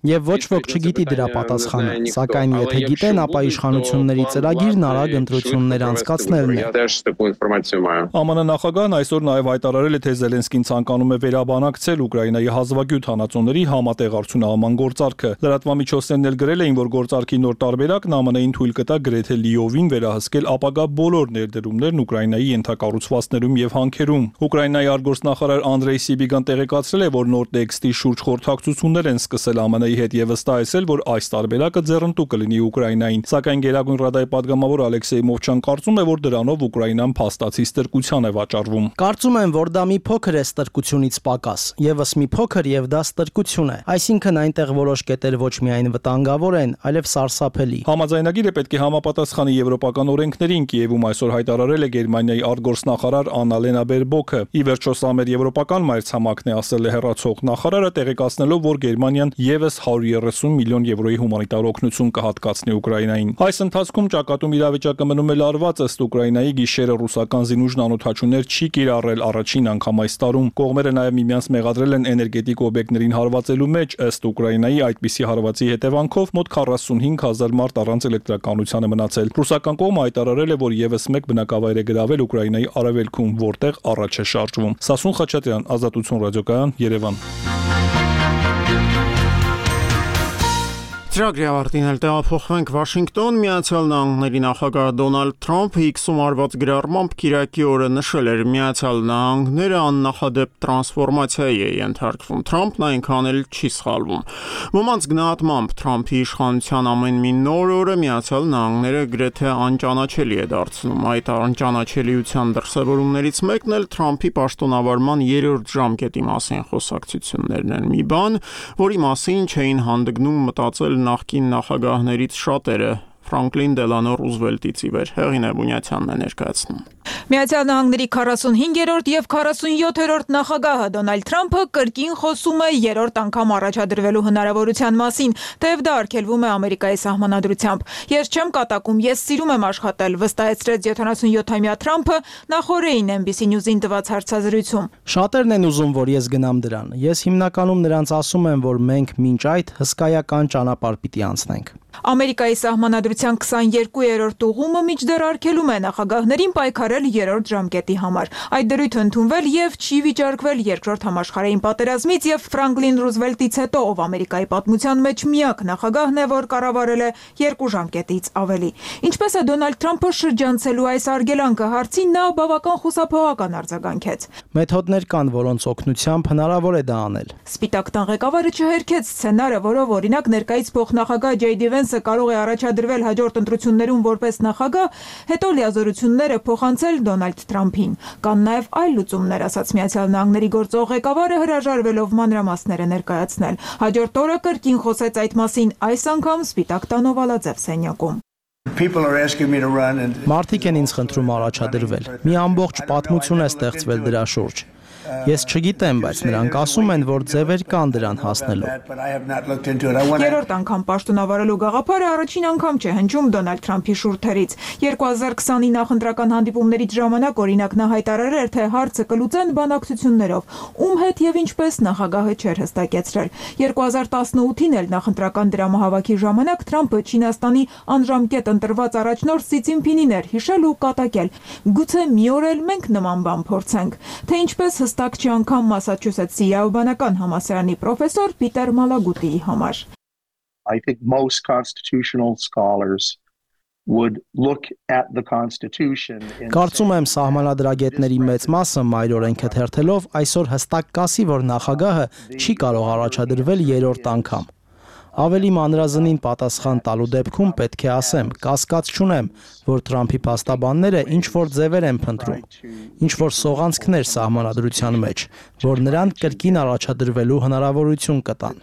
[SPEAKER 4] Եվ ոչ ոք չգիտի դրա պատասխանը, սակայն եթե գիտեն, ապա իշխանությունների ծրագիրն արագ ընտրություններ անցկացնելն է։ Է ՄՆ նախագահն այսօր նաև հայտարարել է, թե Զելենսկին ցանկանում է վերաբանակցել Ուկրաինայի հազվագյուտ հանածոների համատեղ արդյունահանման գործարքը։ Լրատվամիջոցներն էլ գրել էին, որ գործարքի նոր տարբերակն ՄՆ-ին թույլ կտա գրեթե լիովին վերահսկել ապագա բոլոր ներդրումներն Ուկրաինայի ենթակառուցվածքներում եւ հանքերում։ Ուկրաինայի արտգործնախարար Անդրեյ Սիբիգան տեղեկացրել է, որ նոր տեքստի շուրջ խորհրդակցություններ են սկսել ՄՆ-ի հետ եւ վստահեցել, որ այս տարբերակը ձեռնտու կլինի Ուկրաինային։ Սակայն Գերագույն ռադայի պատգամավոր Ալեքսեյ Մովչան կարծում է, որ դրանով Ուկրաինան փաստացի ստրկության է վաճառվում։
[SPEAKER 14] Կարծում եմ, որ դա մի փոքր է ստրկությունից պակաս, եւս մի փոքր եւ դա ստրկություն է։ Այսինքն այնտեղ որոշ կետեր ոչ միայն վտանգավոր են, այլև սարսափելի։
[SPEAKER 4] Համաձայնագիրը պետք է համապատասխանի եվրոպական օրենքներին, Կիևում այսօր հայտարարել է Գերմանիայի արտգործնախարար Աննալենա Բերբոքը։ Ի վերջո սա մեր եվրոպական մայրցամաքն է, ասել է հեռացող նախարարը, տեղեկացնելով, որ Գերմանիան եւս հարյուր երեսուն միլիոն եվրոյի հումանիտար օգնություն կհատկացնի Ուկրաինային։ Այս ընթացքում ճակատում իրավիճակը մնում է լարված, ըստ Ուկրաինայի գիշերը ռուսական զինուժն անօդաչուներ չի կիրառել առաջին անգամ այս տարում։ Կողմերը նաև միմյանց մեղադրել են էներգետիկ օբյեկտներին հարվածելու մեջ, ըստ Ուկրաինայի այդպիսի հարվածի հետևանքով մոտ քառասունհինգ հազար մարդ առանց էլեկտրականության է մնացել։ Ռուսական կողմը հայտարարել է, որ եւս մեկ բնակավայր է գրավել Ուկրաինայի արևելքում, որտեղ առաջ է շարժվում։ Սասուն Խաչատրյան, Ազատություն ռադիոկայան, Երևան։
[SPEAKER 1] Ծրագրի ավարտին էլ տեղափոխվենք Վաշինգտոն։ Միացյալ Նահանգների նախագահ Դոնալդ Թրամփը X-ում արված գրառմամբ Կիրակի օրը նշել էր, Միացյալ Նահանգները աննախադեպ տրանսֆորմացիայի է ենթարկվում։ Թրամփն այնքան էլ չի սխալվում։ Ոմանց գնահատմամբ Թրամփի իշխանության ամեն մի նոր օրը Միացյալ Նահանգները գրեթե անճանաչելի է դարձնում։ Այդ անճանաչելիության դրսևորումներից մեկն էլ Թրամփի պաշտոնավարման երրորդ ժամկետի մասին խոսակցություններն են։ Մի բան, որի մասին չէին հանդգնում մտածել նախկին նախագահներից շատերը, Ֆրանկլին Դելանո Ռուզվելտից ի վեր։ Հեղինե Բունյացյանն է ներկայացնում։
[SPEAKER 26] Միացյալ Նահանգների քառասունհինգերորդ եւ քառասունյոթերորդ նախագահը Դոնալդ Թրամփը կրկին խոսում է երրորդ անգամ առաջադրվելու հնարավորության մասին, թեև դա արգելվում է Ամերիկայի սահմանադրությամբ։ Ես չեմ կատակում, ես սիրում եմ աշխատել, վստահեցրեց յոթանասունյոթամյա Թրամփը նախորդին N B C News-ին տված հարցազրույցում։
[SPEAKER 14] Շատերն են ուզում, որ ես գնամ դրան։ Ես հիմնականում նրանց ասում եմ, որ մենք մինչ այդ հսկայական ճանապարհ պիտի անցնենք։
[SPEAKER 26] Ամերիկայի սահմանադրության քսաներկուերորդ ուղումը մինչդեռ արգելում է նախագահներին պայքարել երրորդ ժամկետի համար։ Այդ դրույթը ընդունվել եւ չի վիճարկվել երկրորդ համաշխարհային պատերազմից եւ Ֆրանկլին Ռուզվելտից հետո, ով Ամերիկայի պատմության մեջ միակ նախագահն է, որ կառավարել է երկու ժամկետից ավելի։ Ինչպես է Դոնալդ Թրամփը շրջանցելու այս արգելանքը հարցին նա բավական խուսափողական արձագանքեց։
[SPEAKER 14] Մեթոդներ կան, որոնց օգնությամբ հնարավոր է դա անել։
[SPEAKER 26] Սպիտակ տան ղեկավարը չհերքեց սցենարը, որով օրինակ ներկայից փոխնախագահ Ջեյ Դի Վենսը կարող է առաջադրվել հաջորդ ընտրություններում որպես նախագահ, հետո լիազորությունները փոխանցել Դոնալդ Թրամփին։ Կան նաև այլ լուծումներ, ասաց Միացյալ Նահանգների գործող ղեկավարը հրաժարվելով մանրամասները ներկայացնել։ Հաջորդ օրը կրկին խոսեց այդ մասին, այս անգամ Սպիտակ տան Օվալաձև սենյակում։
[SPEAKER 14] Մարդիկ են ինձ խնդրում առաջադրվել։ Մի ամբողջ պատմություն է ստեղծվել դրա շուրջ։ Ես չգիտեմ, բայց նրանք ասում են, որ ձևեր կան դրան հասնելու։
[SPEAKER 26] Երրորդ անգամ պաշտոնավարելու գաղափարը առաջին անգամ չէ հնչում Դոնալդ Թրամփի շուրթերից։ երկու հազար քսանի նախընտրական հանդիպումներից ժամանակ օրինակ նա հայտարարել էր, թե հարցը կլուծեն բանակցություններով, ում հետ եւ ինչպես նախագահը չէր հստակեցրել։ երկու հազար տասնութին էլ նախընտրական դրամահավաքի ժամանակ Թրամփը Չինաստանի անժամկետ ընտրված առաջնորդ Սի Ցինփինին էր հիշել ու կատակել։ Գուցե մի օր էլ մենք նման բան փորձենք, թե ինչպես հստակ չի անգամ Մասաչուսեթսի իրավաբանական համալսարանի պրոֆեսոր Պիտեր Մալագուտիի համար։
[SPEAKER 11] I think most constitutional scholars would look at the constitution.
[SPEAKER 14] Կարծում եմ սահմանադրագետների մեծ մասը մայրօրենքը թերթելով այսօր հստակ կասի, որ նախագահը չի կարող առաջադրվել երրորդ անգամ։ Ավելի մանրազնին պատասխան տալու դեպքում պետք է ասեմ, կասկած չունեմ, որ Թրամփի փաստաբանները ինչ որ ձևեր են փնտրում, ինչ որ սողանցքներ սահմանադրության մեջ, որ նրան կրկին առաջադրվելու հնարավորություն կտան։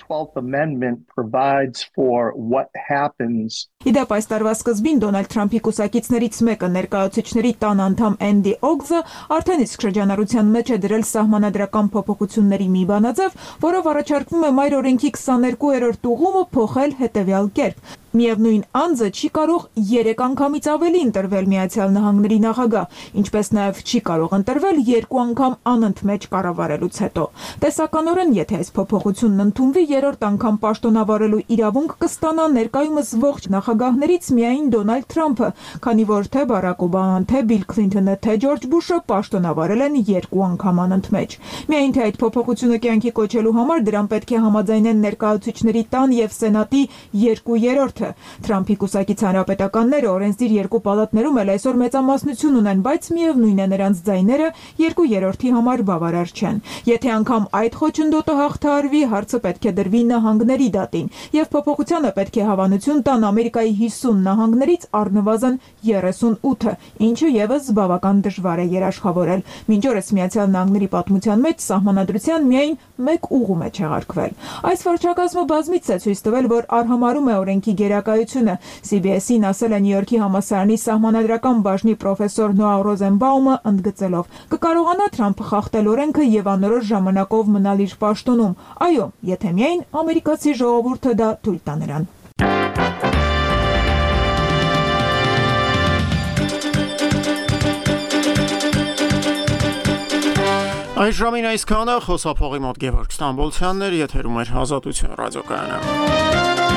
[SPEAKER 26] Իդեպ այս տարվա սկզբին Դոնալդ Թրամփի կուսակիցներից մեկը ներկայացուցիչների տան անդամ Էնդի Օգզը արդեն իսկ շրջանառության մեջ է դրել սահմանադրական փոփոխությունների մի բանաձև, որով առաջարկվում է մայրօրենքի քսաներկուերորդ ուղումը փոխել հետևյալ կերպ. Միևնույն անձը չի կարող երեք անգամից ավելի ընտրվել Միացյալ Նահանգների նախագահ, ինչպես նաև չի կարող ընտրվել երկու անգամ անընդմեջ կառավարելուց հետո։ Տեսականորեն, եթե այս փոփոխությունն ընդունվի, երրորդ անգամ պաշտոնավարելու իրավունք կստանա ներկայումս ողջ նախագահներից միայն Դոնալդ Թրամփը, քանի որ թե Բարակ Օբաման, թե Բիլ Քլինթոնը, թե Ջորջ Բուշը պաշտոնավարել են երկու անգամ անընդմեջ։ Միայն թե այդ փոփոխությունը կյանքի կոչելու համար դրան պետք է համաձայնեն ներկայացուցիչների տան եւ Սենատի երկու երրորդը։ Թրամփի կուսակից հանրապետականները օրենսդիր երկու պալատներում էլ այսօր մեծամասնություն ունեն, բայց միևնույն է նրանց ձայները երկու երրորդի համար բավարար չեն։ Եթե անգամ այդ խոչընդոտը հաղթահարվի, հարցը պետք է դրվի նահանգների դատին, եւ փոփոխությանը պետք է հավանություն տան Ամերիկայի հիսուն նահանգներից առնվազն երեսունութը, ինչը եւս բավական դժվար է երաշխավորել։ Մինչ օրս Միացյալ Նահանգների պատմության մեջ սահմանադրության միայն մեկ ուղում է չեղարկվել։ Այս վարչակազմը բազմիցս է ցույց տվել, որ արհամարհում է օրենքի գերակայությունը։ C B S-ին ասել է Նյու Յորքի համալսարանի սահմանադրական բաժնի պրոֆեսոր Նոա Ռոզենբաումը, ընդգծելով. «Կկարողանա Թրամփը խախտել օրենքը եւ անորոշ ժամանակով մնալ իր պաշտոնում։ Այո, եթե միայն ամերիկացի ժողովուրդը դա թույլ տա նրան»։
[SPEAKER 1] Այս ժամին այսքանը, խոսափողի մոտ Գևորգ Ստամբոլցյանն էր, եթերում էր Ազատություն ռադիոկայանը։